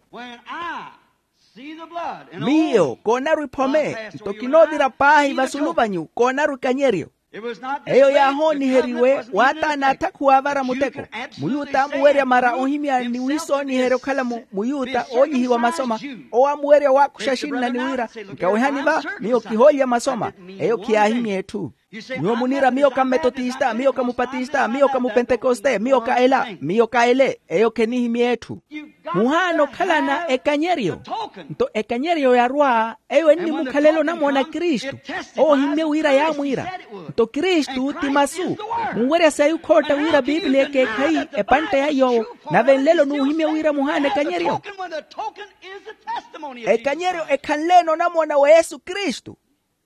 Miyo koonarwa iphome nto kinoovira paahi vasulu vanyu koonarwa ikanyeryo. Eyo yaahooniheriwe waataana atha khuwaavara muteko. Muyuta amuwerya mara ohimya ni wiisooniherya okhala muyuta oonyihiwa masoma. Owo amuwerya owaakuxa axinna ni wira, nkawehani va, miyo kihoolya masoma. Eyo khiyaahimya etthu. Nyuwo muniira miyo ka mmetotista, miyo ka mupatista, miyo ka mupentekoste, miyo ka ela, miyo ka ele. Eyo khenihimya etthu. Muhaana okhalana ekanyeryo. Nto ekanyeryo yarwa, eyo ennimukhalela onamona kristu. Owo ohimmye wira yaamwiira. Nto kristu ti masu. Munwerya sayi okhootta wira bibiliya ekeekhayi, epantta ya yoowo. Nave nlelo nuuhimmye wira muhaana ekanyeryo. Ekanyeryo ekhanleene onamona wa yesu kristu.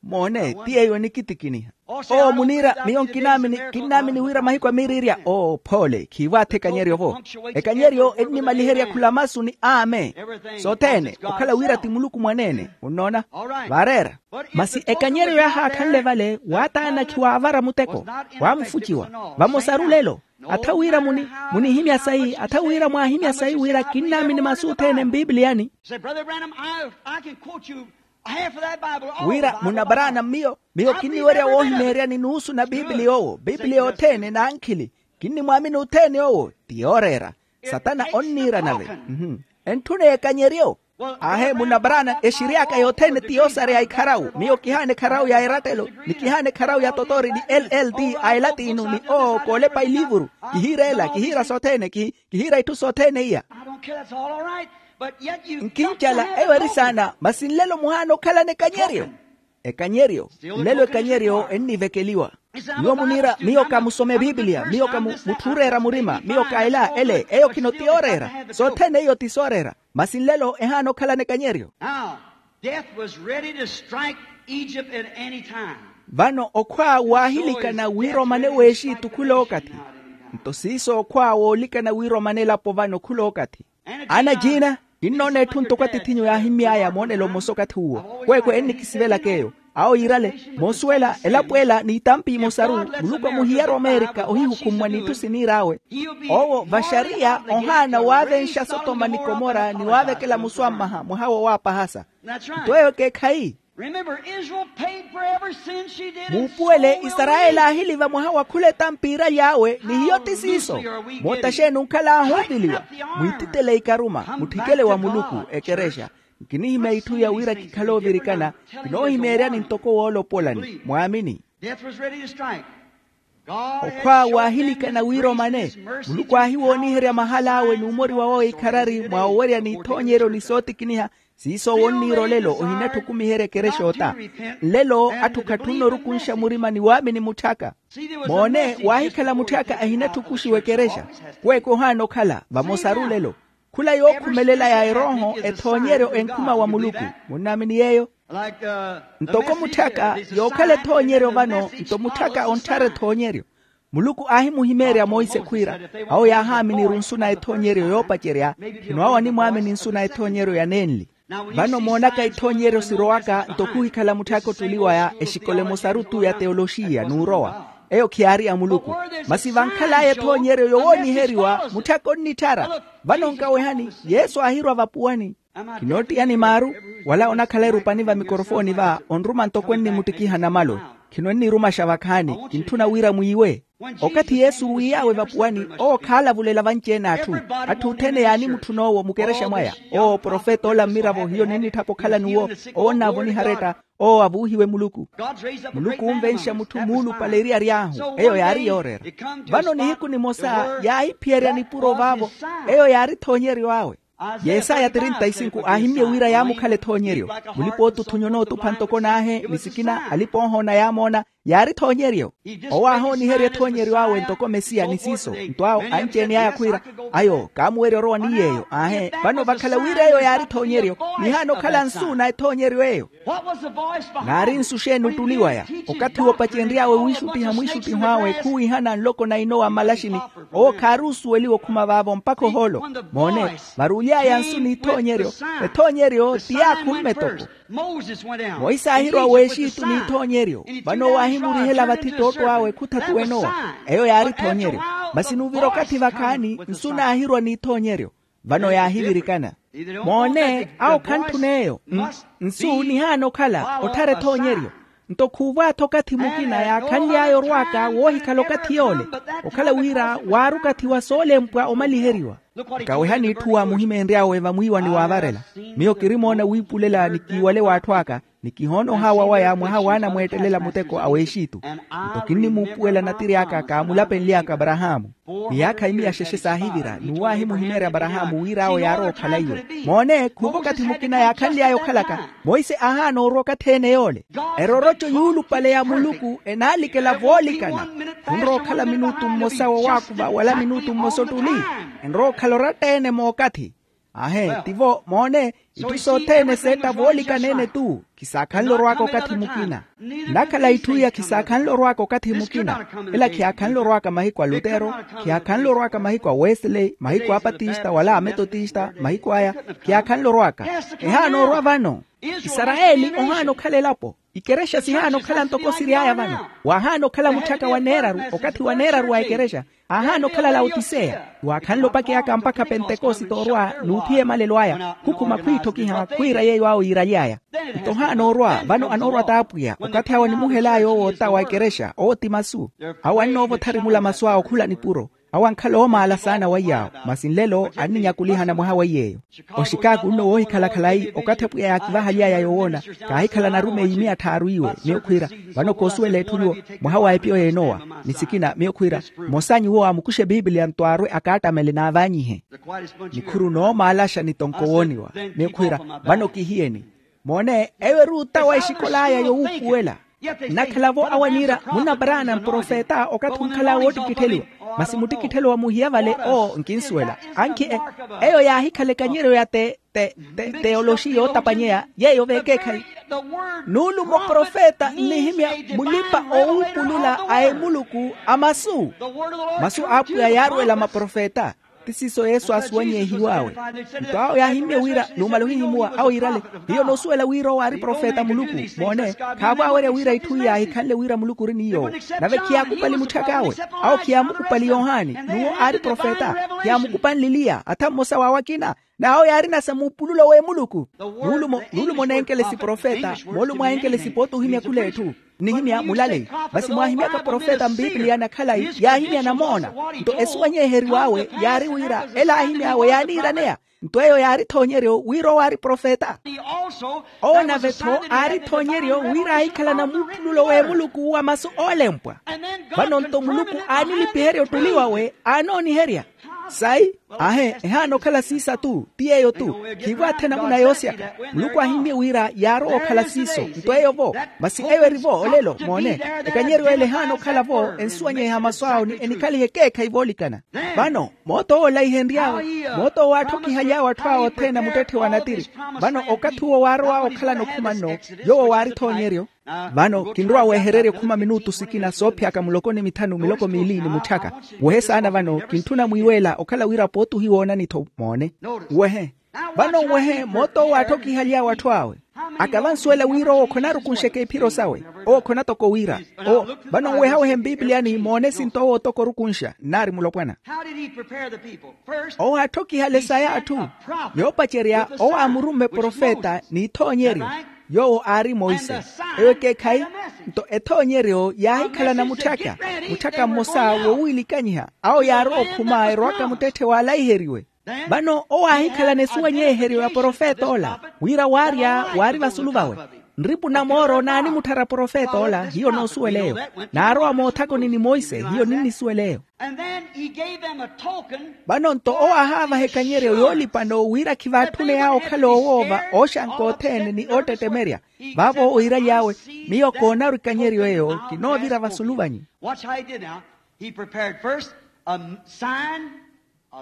Moone, ti eyo enikitikiniha. Oo muniira, miyo nkinaamini, kinnaamini wira mahiku a mirirya. Oo phoole, khiivaatha ekanyeryo-vo. Ekanyeryo ennimaliherya khula masu ni amen. Sothene okhala wira ti muluku mwaneene, onnoona? Vaareera. Masi ekanyeryo yaahaakhanle vale waataana khiwaavara muteko, waamufuciwa. Vamosaru lelo, atha wira muni, munihimya sayi, atha wira mwaahimya sayi wira kinnaamini masu othene mbiibiliyani. Wira munabaraana mmiyo, miyo kinniwerya woohimeeryani nuusu na biibili yoowo biibili yothene na ankhili. Kinnimwaamini othene owo ti yooreera. Satana onniira nave. Entthuneya ekanyeryo. Aahe munabaraana exiriyaka yothene ti yoosareya ikharawu miyo kihaana ekharawu ya erattelo, ni kihaana ekharawu ya totori ni lld a elatinu ni oo koolepa iliivuru. Kihiira ela kihiira sothene kihiira itthu sothene iya. Nkincala eyo eri saana masi nlelo muhaana okhalana ekanyeryo. Ekanyeryo. Nlelo ekanyeryo ennivekeliwa. Nyuwo muniira miyo ka musome bibiliya miyo ka mutthuureera murima miyo ka ela ele eyo khino ti yooreera. Sothene iyo ti sooreera. Masi nlelo ehaana okhalana ekanyeryo. Now death was ready to strike egypt at any time. Vano okhwa waahilikana wira omane w'exitu khulookathi. Nto siiso okhwa woolikana wira omane elapo vano khulookathi. Ana jiina, kinnoona etthu ntoko atithinyu yaahimmy'aya moonelo mmosa okathi uwo. Kweekwe ennikisivelaka eyo. Awo yiirale, moosuwela elapo ela n'itampi imosaru. Muluku amuhiyari omeerika ohihukhummwa n'itthu siniir'awe. Owo vaxariya ohaana waavenxa sotoma ni komora ni waavekela muswammaha mwaha wowaapahasa. Nto eyo ekeekhayi. Muupuwele isarayeli aahiliva mwaha wa khula etampi iiraly'awe ni hiyo ti siiso. Moota xeeni onkhala aahuuviliwa? Mwiititele ikaruma mutthikele wa muluku. Ekerexa. Nkinihimya itthu iya wira kikhale oovirikana. Kinoohimeeryani ntoko woolopolani mwaamini. Okhwa waahilikana wira omane. Muluku aahiwooniherya mahal'awe n'umori wawe ikharari mwa owerya n'ithoonyeryo ni sootikiniha. Siiso owo onniira olelo ohinatthi okumiherya ekerexa ota. Nlelo atthu khatthunna orukunxa murima ni waamini mutth'aka. Moone, waahikhala mutth'aka ahinatthi okuxiwa ekerexa. Kweeke ohaana okhala vamosaru lelo. Khula yookhumelela ya erooho ethoonyeryo enkhuma wa muluku. Munnaamini yeeyo? Ntoko mutth'aka yookhala ethoonyeryo vano nto mutth'aka ontthara ethoonyeryo. Muluku aahimuhimeerya monse khwiira, awo yaahaaminiri onsu na ethoonyeryo yoopacerya. Khino awo animwaamini nsu na ethoonyeryo ya nenli. Vano moonaka ithoonyeryo sirowaka nto khuhikhala mutth'aka ottuli waya exikola emosaru-tu ya teoloxiya n'urowa. Eyo khiyaari ya muluku. Masi vankhal'aya ethoonyeryo yowooniheriwa mutth'aka onnitthara. Vano nkawehani, yesu aahirwa vapuwani. Khinoottiyani maaru. Wala onakhala erupani va mikorofooni va onruma ntoko ennimuttikiha namalu. Khino ennirumaxa vakhaani kintthuna wira mwiiwe. Okathi yesu wiiy'awe vapuwani owo khaalavulela vanci-ene atthu. Atthu othene yaanimutthuna owo mukerexa mwaya. Owo profeta ola mmiravo hiyo ninnitthapa okhala n'uwo. Owo onnaavoniha aretta. Owo avuuhiwe muluku. Muluku onvenxa mutthu muulupale eriyari ahu eyo yaari yooreera. Vano nihiku nimosa yaahiphiyerya nipuro vaavo. Eyo yaari ethoonyeryo awe. Yesaya trinta e cinco aahimmye wira yaamukhala ethoonyeryo. Mulipa-ootuthunya onootupha ntoko n'ahe ni sikina alipa-oohoona yaamoona. Yaari ethoonyeryo. Owo aahooniherya ethoonyeryo awe ntoko mesiya ni siiso. Nto awo anci-ene aya khwiira, ayo kaamuwerya orowa ni yeeyo aahe. Vano vakhala wira eyo yaari ethoonyeryo. Nihaana okhala nsu na ethoonyeryo eyo. Naari nsu xeeni ottuli waya? Okathi woopacenry'awe wiixuttiha mwiixuttiho awe khuwiihana nloko na inowa mmalaxini. Owo khaari osuweliwa okhuma vaavo mpakha ohoolo. Moone, varuly'aya nsu n'ithoonyeryo. Ethoonyeryo ti yaakhumme toko. Monse aahirwa w'exitu n'ithoonyeryo. Vano owo aahimurihela vathi tootto awe khuthatu enowa. Eyo yaari ethoonyeryo. Masi nuuvira okathi vakhaani nsu naahirwa n'ithoonyeryo. Vano yaahivirikana. Moone, awo khantthuna eyo. Nsu nihaana okhala otthara ethoonyeryo. Nto khuuva-tho okathi mukina yaakhanly'aya orw'aka woohikhala okathi yoole, okhala wira waari okathi wa soolempwa omaliheriwa. Nkawehani itthu waamuhimeenry'awe vamwiiwa ni waavarela. Miyo kirimoona wiipulela ni kiiwale w'atthu aka, ni kihoona ohaawa waya mwaha waanamweettelela muteko a w'exitu. Nto kinnimuupuwela natiri aka kaamulapenly'aka aparahaamu. Miyaakha imiya xexe saahivira n'uwo aahimuhimeerya aparahaamu wira awo yaarowa okhala iwe. Moone khuuva okathi mukina yaakhanly'aya okhalaka. Monse aahaana orwa okathi-ene yoole. Eroroco yuulupale ya muluku enaalikela voolikana. Khunrowa okhala minutu mmosa wowaakuva wala minutu mmosa ottuli. Enrowa okhala oratta-ene mookathi. Ahe tivo moone. Itthu sothene seetta voolikana-ene tu. Khisaakhanle orw'aka okathi mukina. Nnakhala itthu iya khisaakhanle orw'aka okathi mukina. Ela khiyaakhanle orw'aka mahiku a lutero. Khiyaakhanle orw'aka mahiku a wesley mahiku a apatista wala a metotista mahiku aya. Khiyaakhanle orw'aka. Ehaana orwa vano. Isarayeli ohaana okhala elapo. Ikerexa sihaana okhala ntoko siry'aya vano. Waahaana okhala mutthaka wa neeraru okathi wa neeraru wa ikerexa. Aahaana okhala laotiseya. Waakhanle opakeyaka mpakha pentekosite orwa n'uphiya emalelo aya. Khukhuma khwiitthokiha khwiira yeeyo awo yiiraly'aya. Nto ohaana orwa vano anoorwa t'apwiya okathi awo animuhel'aya owo ota wa ikerexa owo ti masu. Awo annoova otharimula masu awo okhula nipuro. Awo ankhala oomaala saana weiy'awo. Masi nlelo anninyakulihana mwaha weiy'eyo. Oxikaaku nno woohikhala khalayi okathi apwiya yaakivahaly'aya yowoona. Kaahikhala narumeyi miya tthaaru iwe miyo khwiira. Vano koosuwela etthu nyuwo mwaha wa epiyo y'enowa. Ni sikina miyo khwiira. Mmosanyu iwo amukuxe epiipiliya nto aarwe akaattamele n'avanyihe. Nikhuru noomaalaxa ni tonkowooniwa. Miyo khwiira vano kihiyeni. Moone eyo eri ota wa exikola aya yowuupuwela. Nnakhala-vo awo aniira munna paraana mprofeta okathi onkhal'aya woottikittheliwa. Masi muttikitthelo wa muhiya vale owo nkinsuwela. Ankhi eyo yaahikhala ekanyeryo ya te te te teoloxi yootapanyeya yeeyo veekeekhayi. Nuulumo profeta nnihimya mulipa owuupulula a emuluku a masu. Masu a apwiya yaarwela maprofeta. Ti siiso yesu aasuwanyehiw'awe. Nto awo yaahimmye wira numala ohihimuwa awo yiirale. Hiyo noosuwela wira owo aari profeta a muluku. Moone khaavo awerya wira itthu iya ahikhanle wira muluku ori ni yoowo. Nave khiyaakupali mutthak'awe. Awo khiyaamukupali yohani n'uwo aari profeta. Khiyaamukupanle eliya atha mmosa w'awo akina. N'awo yaarina sa muupululo w'emuluku. Nuulumo nuulumo nenkele siprofeta moolumo ahenkele sipootta ohimya khula etthu. Nnihimya mulaleyi. Masi mwaahimyaka profeta mpiipiliya na khalayi yaahimya namoona. Nto esuwanyeheriw'awe yaari wira ela aahimy'awe yaaniiraneya. Nto eyo yaari ethoonyeryo wira owo aari profeta. Owo nave-tho aari ethoonyeryo wira aahikhalana muupululo w'emuluku wa masu oolempwa. Vano nto muluku aanilipiherya ottuli wawe aanooniherya. Sayi. Ahe ehaana okhala siisa tu ti yeeyo tu. Khiivo athe namuna yoosyaka. Muluku aahimmye wira yaarowa okhala siiso. Nto eyo-vo. Masi eyo eri-vo olelo moone. Ekanyeryo ele ehaana okhala-vo ensuwanyeha masu awo ni enikhaliha ekeekhayi voolikana. Vano moota owo olaihenry'awe. Moota owo aatthokihaly'awe atthu awo othene a muttetthe wa natiri. Vano okathi uwo waarow'awe okhalana okhuma nno. Yoowo waari ethoonyeryo. Vano kinrowa wehererya okhuma minutu sikina soophiyaka muloko ni mithanu miloko miili ni mutthaka. Wehe saana vano kintthuna mwiiweela okhala wira pootuhi woonani-tho moone. Nwehe. Vano nwehe moota owo aatthokihaly'awe atthu awe. Aka vansuwela wira owo khonarukunxeke iphiro sawe. Owo khonatoko wira. Owo. Vano nwehawehe mpiipiliyani moone esinto owo otoko orukunxa nnaari mulopwana. Owo aatthokihale saya atthu. Yoopacerya owo aamurumme profeta n'ithoonyeryo. Yoowo aari monse. Eyo ekeekhayi. Nto ethoonyeryo yaahikhalana mutthaka. Mutthaka mmosa wowiilikanyiha awo yaarowa okhuma erowaka muttetthe waalaiheriwe. Vano owo aahikhalana esuwanyeheryo ya profeta ola. Wira waarya waari vasulu vawe. Nripu na mooro naanimutthara profeta ola hiyo noosuwela eyo. Naarowa moothakoni ni monse hiyo ninnisuwela eyo. Vano nto owo aahaavaha ekanyeryo yoolipano wira khivaatthuneya okhala oowoova ooxanka othene ni oottettemerya. Vaavo owo iiraly'awe. Miyo koonaru ekanyeryo eyo kinoovira vasulu vanyu.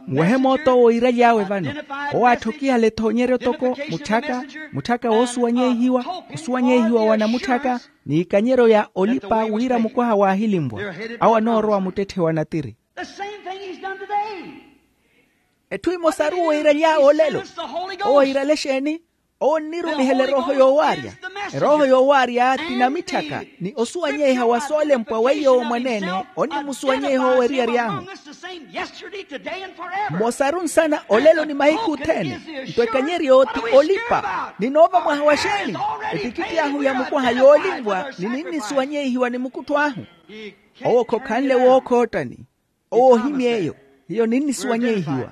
Muwehe moota owo iiraly'awe vano. Owo aatthokihala ethoonyeryo toko mutthaka. Mutthaka woosuwanyehiwa. Osuwanyehiwa wa namutthaka n'ikanyeryo ya olipa wira mukwaha waahilinvwa. Awo anoorowa muttetthe wa natiri. Etthu emosaru owo iiraly'awe olelo. Owo iirale exeeni? Owo onnirumihela erooho yoowaarya. Erooho yoowaarya ti namitthaka ni osuwanyeiha wa soolempwa weiyo owo mwaneene. Onnimusuwanyeiha owo eriyari ahu. Yesterday, today, and forever. Mmosaru nsana olelo ni mahiku othene. Nto ekanyeryo ti olipa. Ninoova mwaha wa xeeni? Etikitti ahu ya mukwaha yoolinvwa ni ninnisuwanyeihiwa ni mukuttho ahu. Owo khokhanle wookhoottani. Owo ohimya eyo. Hiyo ninnisuwanyeihiwa.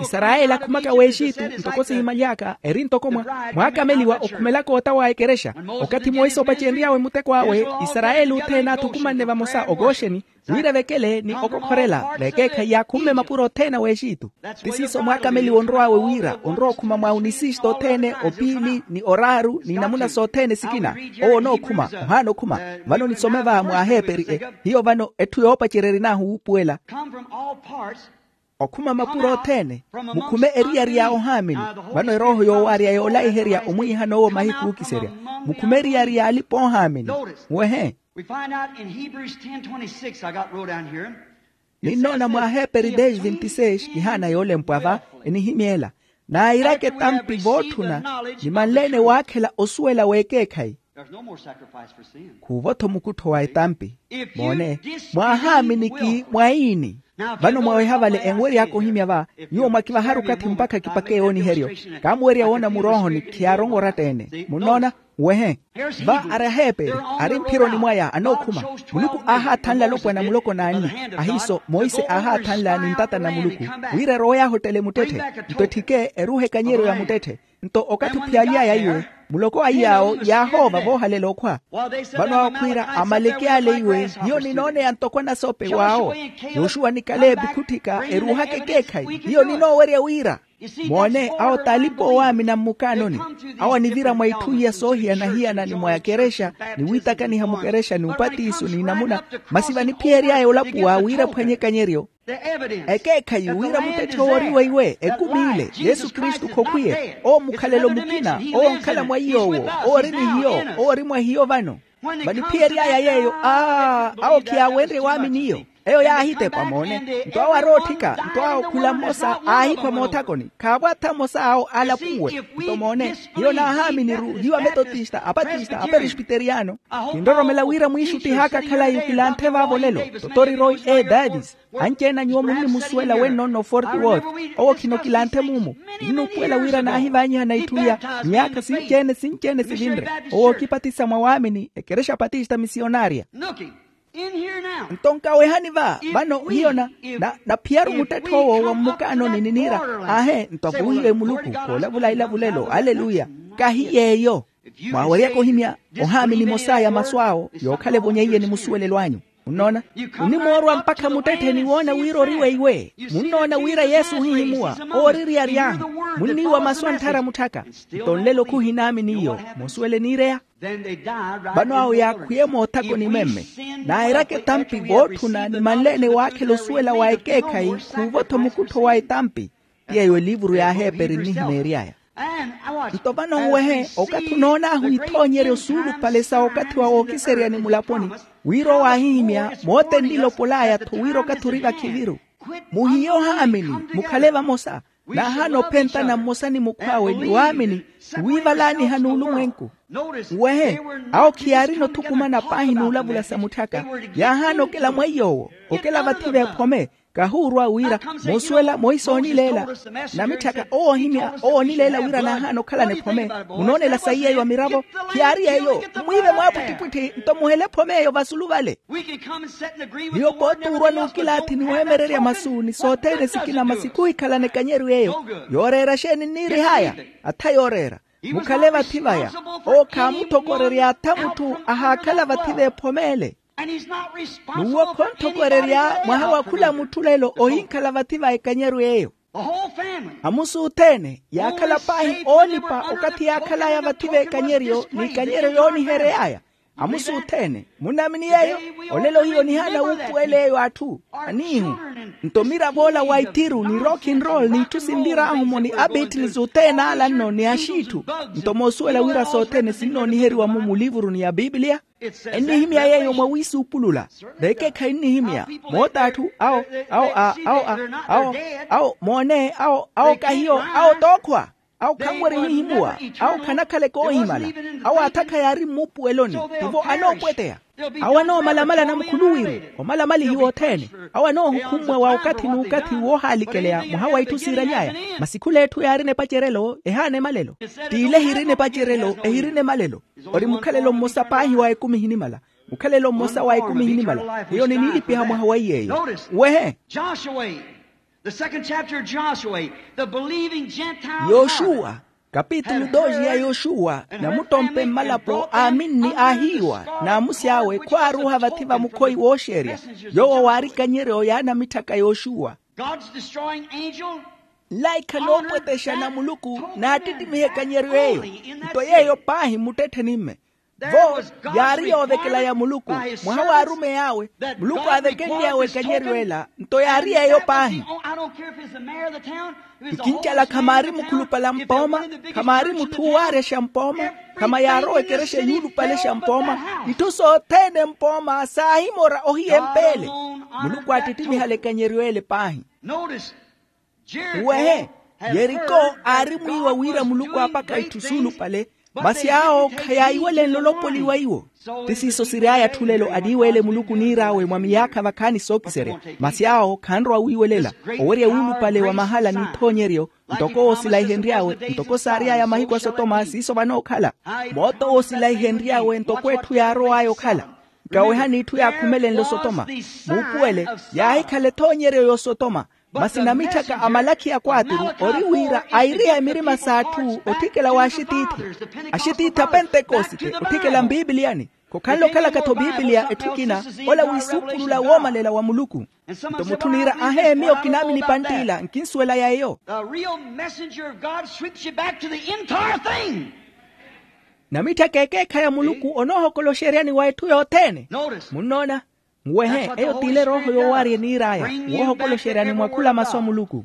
Isarayeli akhumaka w'exitu ntoko sihimaly'aka eri ntoko mwa mwaakameliwa okhumelaka ota wa ekerexa. Okathi monse opacenry'awe muteko awe, isarayeli othene aathukumanne vamosa okooxeni, wira evekele ni okokhorela vekeekhayi yaakhumme mapuro othene a w'exitu. Ti siiso mwaakameliwa onrow'awe wira onrowa okhuma mwa onisisto othene, opiili ni oraaru ni namuna sothene sikina. Owo onookhuma, ohaana okhuma. Vano nisome va mwaaheeperi e. Hiyo vano etthu yoopacerya erinaahu wuupuwela. Okhuma mapuro othene, mukhume eriyari ya ohaamini. Vano erooho yoowaarya yoolaiherya omwiihan'owo mahiku ookiserya. Mukhume eriyari ya alipa-oohaamini. Muwehe. We find out in Hebrews ten twenty-six, I got wrote down here. Ninnoona mwa aheeperi dez vinte seis kihaana yoolempwa va, enihimyeela. Naayiraka etampi vootthuna, ni manleene waakhela osuwela w'ekeekhayi. There's no more sacrifice for sin. Khuuvo-tho mukuttho wa etampi. Moone, mwaahaaminiki mwaini. Vano mwaweha vale enwery'aka ohimya va, nyuwo mwakivaharu okathi mpakha kipake yooniheryo. Kaamuwerya woona muroohoni khiyaaronwa oratta-ene. Munnoona? Wehe. Va ari aheeperi, ari mphironi mwaya anookhuma. Muluku aahaathanla alopwana muloko n'anni. Ahiiso monse aahaathanla ni ntata na muluku, wira erowe yaahottele muttetthe. Nto etthike eruuhe ekanyeryo ya muttetthe. Nto okathi ophiyaly'aya iwe, muloko wa iy'awo yaahoova voohalela okhwa. Vano awo khwiira amaleki ale iwe, hiyo ninooneya ntoko anasope w'awo. Yoxuwa ni kaleepi khutthika eruuhaka ekeekhayi, hiyo ninoowerya wira. Moone, awo t'alipa oowaamina mmukaanoni. Awo anivira mwa itthu iya soohiyana-hiyana ni mwa ekerexa, ni wiitakaniha mukerexa ni upatiso ni namuna, masi vaniphiyery'aya olapuwa wira aphwanye ekanyeryo. Ekeekhayi wira muttetthe owo ori weiwe ekumi ile yesu kristu khokhwiye. Owo mukhalelo mukina, owo onkhala mwa iy'owo, owo ori ni hiyo, owo ori mwa hiyo vano. Vaniphiyery'aya yeeyo aa awo khiyaawenrye waamini iyo. Eyo yaahitepa moone. Nto awo arootthika nto awo khula mmosa aahikhwa moothakoni khaavwatha mmosa awo aalapuwe. Nto moone, hiyo naahaaminiru hiyo ametotista apatista aperespiteriyano. Kinroromela wira mwiixuttih'aka khalayi okilanthe vaavo olelo. Totori roy e davis. Anci-ene a nyuwo munnimusuwela wennono forty worth. Owo khino kilanthe muumu. Nnuupuwela wira naahivaanyihana itthu iya miyaakha sinci-ene sinci-ene sivinre. Owo ookipatisa mwa waamini ekerexa patista misionaarya. Nto nkawehani va vano hiyo na naphiyaru muttetthe owo wa mmukaanoni niniira. Aahe nto avuwihiwe muluku khoolavula ilavulelo aleluya. Kahi yeeyo. Mwaaweryaka ohimya ohaamini mosaya masu awo yookhala evonya iye ni musuwelelo anyu. Munnoona? Munimoorwa mpakha muttetthe ni woona wira ori weiwe. Munnoona wira yesu ohihimuwa owo ori eriyari ahu. Munniiwa masu antthara mutthaka. Nto nlelo khuhinaamini iyo. Musuwele niireya. Vano awo yaakhwiye moothakoni meme. Naayeraka etampi vootthuna ni manleene waakhela osuwela wa ekeekhayi khuuvo-tho mukuttho wa etampi. Ti yeeyo eliivuru y'aheeperi nnihimeery'aya. Nto vano nwehe okathi onoon'ahu ithoonyeryo suulupale sa okathi wa wookiserya ni mulaponi, wira owo aahihimya moote nnilopol'aya-tho wira okathi ori vakhiviru. Muhiye ohaamini, mukhale vamosa. Naahaana ophentana mmosa ni mukhw'awe ni waamini, ni wiivalaaniha n'ulumwenku. Nwehe, awo khiyaarina othukumana paahi n'ulavula sa mutthaka. Yaahaana okela mwa iy'owo, okela vathi v'ephome. Kahuurwa wira moosuwela moisa oonileela. Namitthaka owo ohimya owo oonileela wira naahaana okhalana ephome. Munoonela sayi eyo a miravo. Khiyaari eyo. Mwiive mwaapwittipwitthi nto muhele ephome eyo vasulu vale. Hiyo kootuurwa n'ukilaathi ni weemererya masu ni sothene sikina masi khuhikhalana ekanyeryo eyo. Yooreera xeeni nniirih'aya? Atha yooreera. Mukhale vathi vaya. Owo khaamuthokorerya atha mutthu ahaakhala vathi v'ephome ele. N'uwo khonthokorerya mwaha wa khula mutthu lelo ohinkhala vathi va ekanyeryo eyo. Amusu othene yaakhala paahi oolipa okathi yaakhal'aya vathi v'ekanyeryo n'ikanyeryo yoonihery'aya. Amusu othene munamini yeeyo. Olelo hiyo nihaana wuupuwela eyo atthu aniihu. Nto mirav'ola wa itiru ni rock and roll n'itthu sinvir'ahu-mo ni abeatles othene ala nno ni axiitthu. Nto moosuwela wira sothene sinnooniheriwa-mo mulivuruni ya pipiliya. Ennihimya yeeyo mwawiisuupulula. Vekeekhayi nnihimya moota atthu awo awo a awo a awo awo moone awo awo kahiyo awo tookhwa. Awo khanwerya ohihimuwa. Awo khanakhaleke oohimala. Awo athakha yaari mmuupuweloni. Tivo anoopweteya. Awo anoomalamala namukhuluwiru. Omalamalihiwa othene. Awo anoohukhumwa wa okathi n'ukathi woohaalikeleya mwaha wa itthu siiraly'aya. Masi khul'etthu yaarina epacerelo ehaana emalelo. T'ile ehirina epacerelo ehirina emalelo. Ori mukhalelo mmosa paahi wa ekumi ehinimala. Mukhalelo mmosa wa ekumi ehinimala. Hiyo niniilipiha mwaha wa iy'eyo. Wehe. Joshua, the second chapter of Joshua, the believing Gentile yoxuwa. Kapitulu doxi ya yoxuwa. Namuttompe mmalapo aaminni aahiiwa. N'amusi awe khwaaruha vathi va mukhoyi wooxerya. Yoowo waari ekanyeryo y'anamitthaka yoxuwa. God's destroying angel. Nlaikha noopwetexa na muluku naattittimiha ekanyeryo eyo. Nto yeeyo paahi mmuttettheni-mme. Vo yaari yoovekela ya muluku. Mwaha w'arumeyi awe muluku aavekenly'awe ekanyeryo ela nto yaari yeeyo paahi. Nkincala khamaari mukhulupale a mpooma. Khamaari mutthu owaaryaxa mpooma. Khama yaarowa ekerexa yuulupalexa mpooma. Itthu sothene mpooma saahimora ohiya empeele. Muluku aattittimihala ekanyeryo ele paahi. Uwehe, yeriko aari mwiiwa wira muluku aapaka itthu suulupale. Masi awo khayaayiwele nlolopoliwa iwo. Ti siiso siry'aya atthu lelo aniiweele muluku niir'awe mwa miyaakha vakhaani sookiserya. Masi awo khanrowa wiiwelela. Owerya wuulupale wa mahala n'ithoonyeryo ntoko woosilayihenry'awe ntoko saary'aya mahiku a sotoma siiso vanookhala. Mooto woosilayihenry'awe ntoko etthu yaarow'aya okhala. Nkawehani itthu yaakhumelenle osotoma. Muupuwele yaahikhala ethoonyeryo y'osotoma. Masi namitthaka a malakhi ya kwaaturu ori wira airiha emirima s'atthu otthikela w'axitiithi. Axitiithi a pentekosite otthikela mpiipiliyani. Khokhanle okhalaka-tho piipiliya etthu ekina. Ola wiisuupulula woomalela wa muluku. Nto mutthu niira ahe miyo kinaamini pantt'ila nkinsuwela ya eyo. The real messenger of God sweeps you back to the entire thing. Namitthaka ekeekhayi a muluku onoohokoloxeryani wa etthu yothene. Munnoona? Nwehe eyo t'ile erooho yoowaarya eniir'aya woohokoloxeryani mwa khula masu a muluku.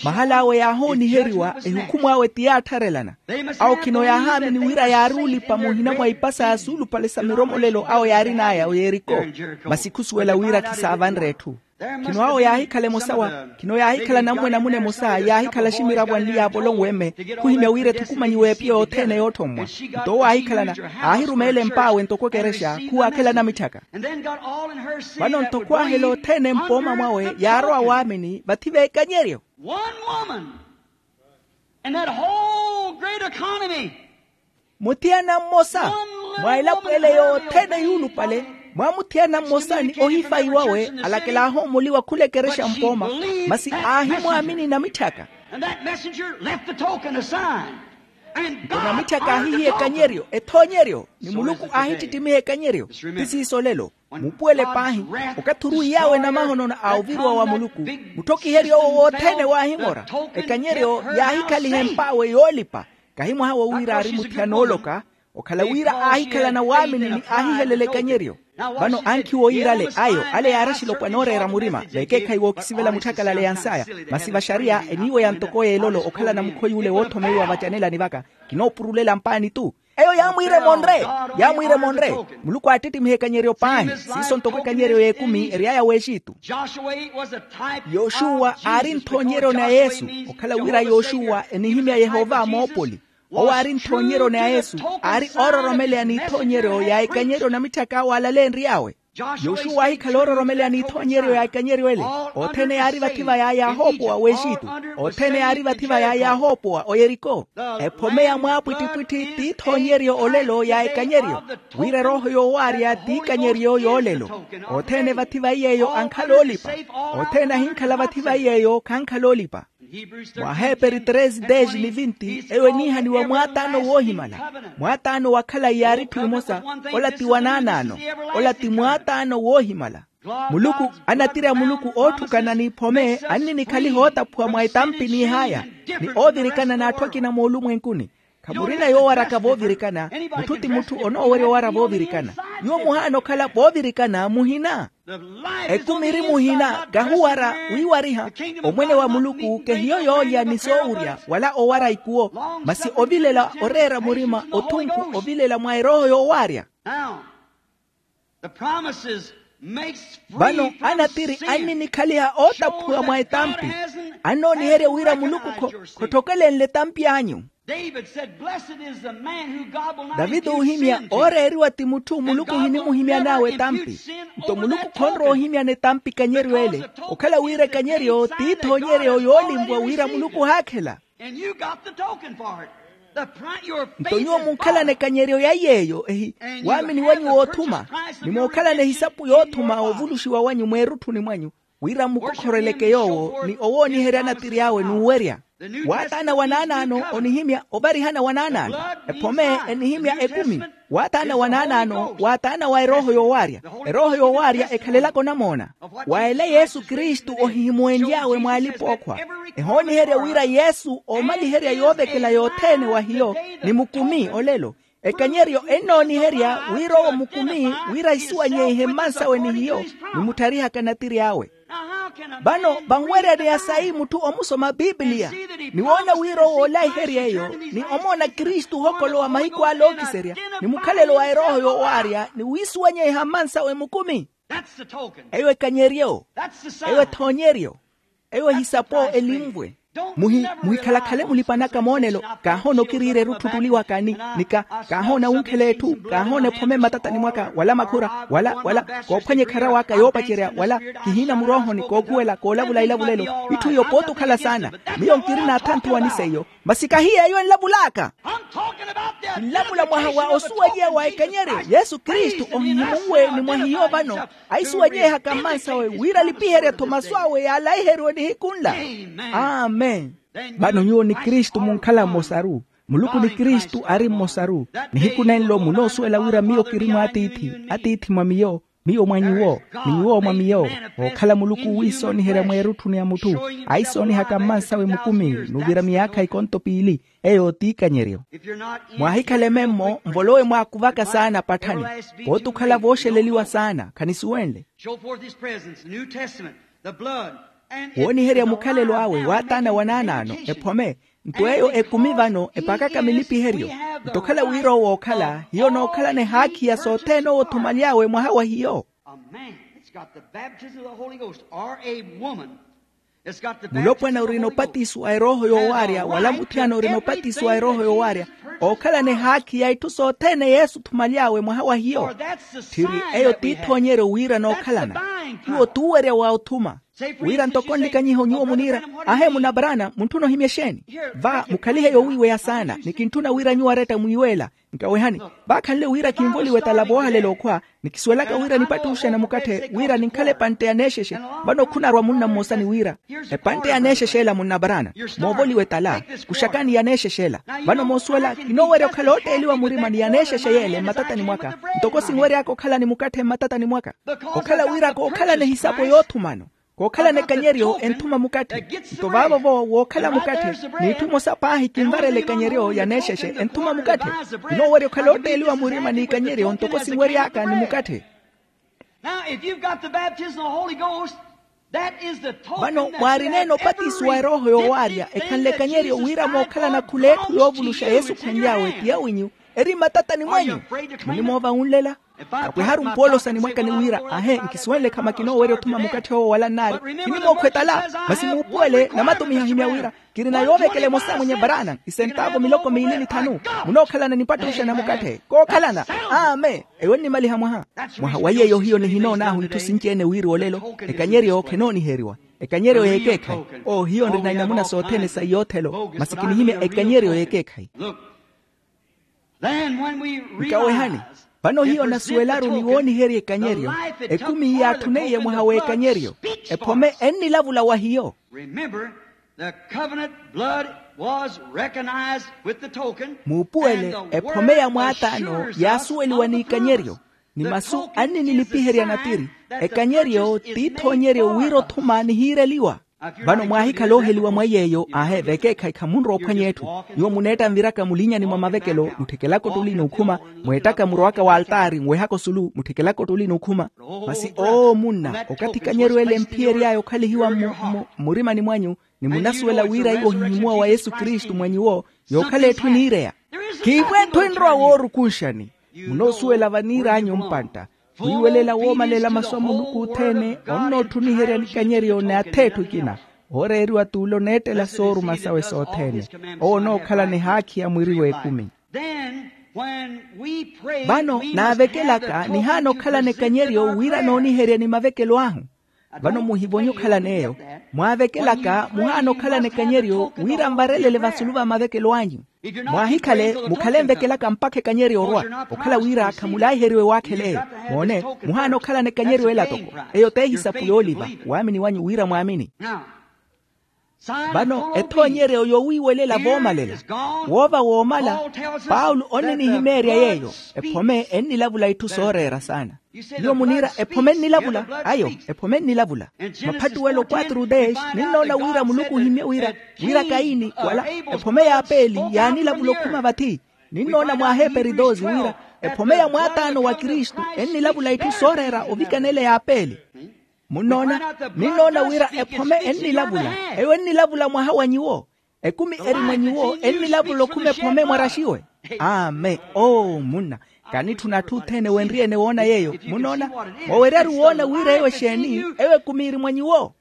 Mahala awe yaahooniheriwa ehukhumw'awe ti yaattharelana. Awo khino yaahaamini wira yaari olipa muhina mwa ipasa ya suulupale sa miromolelo awo yaarin'aya o yeriko. Masi khusuwela wira khisaavanre etthu. Khino awo yaahikhala emosa wa khino yaahikhala nammwe namuna emosa yaahikhala aximiravo anli yaavolonwe-mme. Khuhimya wira ethukumanyiwe epiya yothene yoothommwa. Nto owo aahikhalana aahirumeela emp'awe ntoko ekerexa khuwaakhela namitthaka. Vano nto khwaahela othene mpooma mwawe yaarowa waamini vathi v'ekanyeryo. One woman in that whole great economy. Muthiyana mmosa mwa elapo ele yothene yuulupale. Mwa muthiyana mmosa ni ohifayi wawe alakela aahoomoliwa khula ekerexa mpooma. Masi aahimwaamini namitthaka. And that messenger left the token, a sign. Nto namitthaka aahihiya ekanyeryo ethoonyeryo ni muluku aahittitimiha ekanyeryo. Ti siiso olelo. Muupuwele paahi okathi oruwiy'awe namahonono a oviriwa wa muluku. Mutthokiheryo owo wothene waahimora. Ekanyeryo yaahikhaliha emp'awe yoolipa. Kahi mwaha wowira aari muthiyana ooloka. Okhala wira aahikhalana waamini ni aahihelela ekanyeryo. Vano ankhi wooyira ale ayo ale yaari axilopwana ooreera murima veekeekhayi wookisivela mutthakalale ya nsaya. Masi vaxariya eniiweya ntoko y'elolo okhalana mukhoyi ule woothomeiwa vacanelani vaka. Kinoopurulela mpaani-tu. Eyo yaamwiira emonre. Yaamwiira emonre. Muluku aattittimiha ekanyeryo paahi siiso ntoko ekanyeryo y'ekumi ery'aya w'exitu. Yoxuwa aari nthoonyeryo na yesu. Okhala wira yoxuwa enihimya yehova moopoli. Owo aari nthoonyeryo na yesu. Aari oororomeleya n'ithoonyeryo ya ekanyeryo namitthaka awo alaleenry'awe. Yoxuwa aahikhala oororomeleya n'ithoonyeryo ya ekanyeryo ele. Othene yaari vathi va yaayahoopowa w'exitu. Othene yaari vathi va yaayahoopowa oyeriko. Ephome ya mwaapwittipwitthi t'ithoonyeryo olelo ya ekanyeryo. Wira erooho yoowaarya t'ikanyeryo y'olelo. Othene vathi va iy'eyo ankhala oolipa. Othene ahinkhala vathi va iy'eyo khankhala oolipa. Mwa aheeperi treze dez ni vinti eyo eniihaniwa mwaataano woohimala. Mwaataano wa khalayi yaari etthu emosa. Ola ti wanaanaano. Ola ti mwaataano woohimala. Muluku anatiri a muluku ootthukana n'iphome anninikhaliha ootaphuwa mwa etampi n'ihaya. Ni oovirikana n'atthu akina moolumwenkuni. Khamurina yoowaraka voovirikana. Mutthu ti mutthu onoowerya owara voovirikana. Nyuwo muhaana okhala voovirikana muhina. Ekumi eri muhina kahuwara. Wiiwariha omwene wa muluku kehiyo yoolya ni soowurya wala owara ikuwo. Masi ovilela oreera murima othunku ovilela mwa erooho yoowaarya. Vano anatiri anninikhaliha ootaphuwa mwa etampi. Annooniherya wira muluku khottokelenle etampi anyu. Daviti oohimya ooreeriwa ti mutthu muluku ohinimuhimyan'awe etampi. Nto muluku khonrowa ohimyana etampi ekanyeryo ele. Okhala wira ekanyeryo t'ithoonyeryo yoolimvwa wira muluku ohaakhela. Nto nyuwo munkhalana ekanyeryo ya yeeyo ehi waamini wanyu woothuma, ni munkhalana ehisapu yoothuma ovuluxiwa wanyu mweerutthuni mwanyu, wira mmukokhoreleke yoowo ni owooniherya anatiri awe n'uwerya. Waataana wa naanaano onihimya ovarihana wa naanaano. Ephome enihimya ekumi. Waataana wa naanaano waataana wa erooho yoowaarya. Erooho yoowaarya ekhalelaka onamoona wa ela yesu kristu ohihimuwenly'awe mwa alipa-ookhwa. Ehooniherya wira yesu oomaliherya yoovekela yothene wa hiyo, ni mukumi olelo. Ekanyeryo ennooniherya wira owo mukumi wira ahisuwanyeihe mmansawe ni hiyo, ni muttarihaka natiri awe. Vano vanweryaneya sayi mutthu omusoma pipiliya, ni woona wira owo oolaiherya eyo, ni omoona kristu ohokolowa mahiku ale ookiserya, ni mukhalelo wa erooho yoowaarya ni wiisuwanyeiha mmansawe mukumi. Eyo ekanyeryo. Eyo ethoonyeryo. Eyo ehisapo elinvwe. Muhi muhikhalakhale mulipanaka moonelo. Kaahoona okiriira erutthu tuliwaka ni nika. Kaahoona wunkhela etthu. Kaahoona ephome mmatatani mwaka wala makhura wala wala koophwanya ekhara waka yoopacerya wala kihiina muroohoni kookhuwela koolavula elavulelo. Itthu iyo pooti okhala saana. Miyo nkirina athantu wa niseiyo. Masi kahiya eyo enlavulaka. Kinlavula mwaha wa osuweliwa wa ekanyeryo yesu kristu ohihimunwe ni mwa hiyo vano. Ahisuwanyehaka mmansawe wira alipiherye-tho masu awe yaalaiheriwe nihiku nla. Amen. Vano nyuwo ni kristu munkhala mmosaru. Muluku ni kristu ari mmosaru. Nihiku nenlo munoosuwela wira miyo kiri mwa atiithi, atiithi mwa miyo, miyo mwa nyuwo, ni nyuwo mwa miyo. Ookhala muluku wiisooniherya mweerutthuni ya mutthu aisoonihaka mmansawe mukumi. N'uvira miyaakha ikonto piili. Eyo t'ikanyeryo. Mwaahikhale memmo nvolowe mwaakuvaka saana patthani. Pooti okhala vooxeleliwa saana khanisuwenle. Wooniherya mukhalelo awe waataana wa naanaano ephome. Nto eyo ekumi vano epaakaka milipiheryo. Nto okhala wira owo ookhala hiyo nookhalana ehaakhi ya sothene owo othumaly'awe mwaha wa hiyo. Mulopwana orina opatiso wa erooho yoowaarya wala muthiyana orina opatiso wa erooho yoowaarya ookhalana ehaakhi ya itthu sothene yesu othumaly'awe mwaha wa hiyo. Tthiri eyo t'ithoonyeryo wira nookhalana. Hiyo t'uwerya wa othuma. Wira ntoko nlikanyiho nyuwo muniira, ahe munaparaana muntthuna ohimya exeeni? Va mukhalihe yoowiiweya saana ni kintthuna wira nyuwo aretta mwiiweela. Nkawehani, vaakhanle wira kinvoliwe tala voohalela okhwa. Ni kisuwelaka wira nipattuxe namukatthe wira ninkhale epantte ya neexexe. Vano khunarwa munna mmosa ni wira, epantte ya neexexe ela munnaparaana moovoliwe tala. Kuxakani ya neexexe ela. Vano moosuwela kinoowerya okhala ootteeliwa murima ni ya neexexe yeele mmatatani mwaka. Ntoko sinwery'aka okhala ni mukatthe mmatatani mwaka. Okhala wira kookhalana ehisapo yoothumano. Kookhalana ekanyeryo enthuma mukatthe. Nto vaavo-vo wookhala mukatthe, n'itthu emosa paahi kinvarela ekanyeryo ya neexexe enthuma mukatthe. Kinoowerya okhala ootteeliwa murima n'ikanyeryo ntoko sinwery'aka ni mukatthe. Vano mwaarineene opatisiwa erooho yoowaarya ekhanle ekanyeryo wira mookhalana khula etthu yoovuluxa yesu khwenly'awe ti awinyu. Eri mmatatani mwenyu. Munimoova wunlela. Apweharu mpoolosani mwaka ni wira ahe nkisuwenle khama kinoowerya othuma mukatthe owo wala nnaari. Kinimookhwa etala. Masi muupuwele namatumiha ohimya wira kirina yoovekela emosa mwenye varaana isentaavo miloko miili ni thanu. Munookhalana nipattuxa na mukatthe kookhalana. Amen. Eyo nnimaliha mwaha. Mwaha wa yeeyo hiyo nihinoon'ahu itthu sinci-ene wiriwa olelo. Ekanyeryo khenooniheriwa. Ekanyeryo y'ekeekhayi. Oo hiyo nrina inamuna sothene sa iyoothelo masi kinihimya ekanyeryo y'ekeekhayi. Nkawehani. Vano hiyo nasuwelaru ni wooniherya ekanyeryo. Ekumi yaatthuneiye mwaha w'ekanyeryo. Ephome ennilavula wa hiyo. Muupuwele ephome ya mwaataano yaasuweliwa n'ikanyeryo. Ni masu anninilipiherya natiri. Ekanyeryo t'ithoonyeryo wira othuma nihiireliwa. Vano mwaahikhala ooheliwa mwa yeeyo ahe vekeekhayi khamunrowa ophwanya etthu. Nyuwo muneetta nviraka mulinyani mwa mavekelo mutthikelaka ottuli n'ukhuma. Mweettaka murowaka w'altaari nwehaka osulu mutthikelaka ottuli n'ukhuma. Masi oo munna okathi ekanyeryo ele emphiyery'aya okhalihiwa mmurimani mwanyu. Ni munasuwela wira iwo ohihimuwa wa yesu kristu mwa nyuwo. Yookhala etthu eniireya. Khiivo etthu enrowa woorukunxani. Munoosuwela vaniir'anyu mpantta. Wiiwelela woomalela masu a muluku othene onnootthuniherya nikanyeryo n'ath'etthu ekina. Ooreeriwa t'ule oneettela sooruma sawe sothene. Owo onookhalana ehaakhi ya mwiri w'ekumi. Vano naavekelaka nihaana okhalana ekanyeryo wira nooniherya ni mavekelo ahu. Vano muhivonye okhalana eyo. Mwaavekelaka muhaana okhalana ekanyeryo wira nvarelele vasulu va mavekelo anyu. Mwaahikhale mukhale nvekelaka mpakha ekanyeryo orwa okhala wira khamulaiheriwe waakhela eyo. Moone, muhaana okhalana ekanyeryo ela toko. Eyo t'ehisapu yooliva waamini wanyu wira mwaamini. Vano ethoonyeryo yowiiwelela voomalela. Woova woomala. Paulo onninihimeerya yeeyo. Ephome ennilavula itthu sooreera saana. Nyuwo muniira ephome ennilavula. Ayo, ephome ennilavula. Maphattuwelo quatro dez ninnoona wira muluku ohimye wira, wira kaini wala ephome y'apeli yaanilavula okhuma vathi. Ninnoona mwaaheperi doze wira ephome ya mwaataano wa kristu ennilavula itthu sooreera ovikanela y'apeli. Munnoona? Ninnoona wira ephome ennilavula. Eyo ennilavula mwaha wa nyuwo. Ekumi eri mwa nyuwo ennilavula okhuma ephome mwaraxiwe. Amen. Oo munna, kanitthuna atthu othene wenriyene woona yeeyo. Munnoona? Mooweryaru woona wira eyo exeeni. Eyo ekumi eri mwa nyuwo.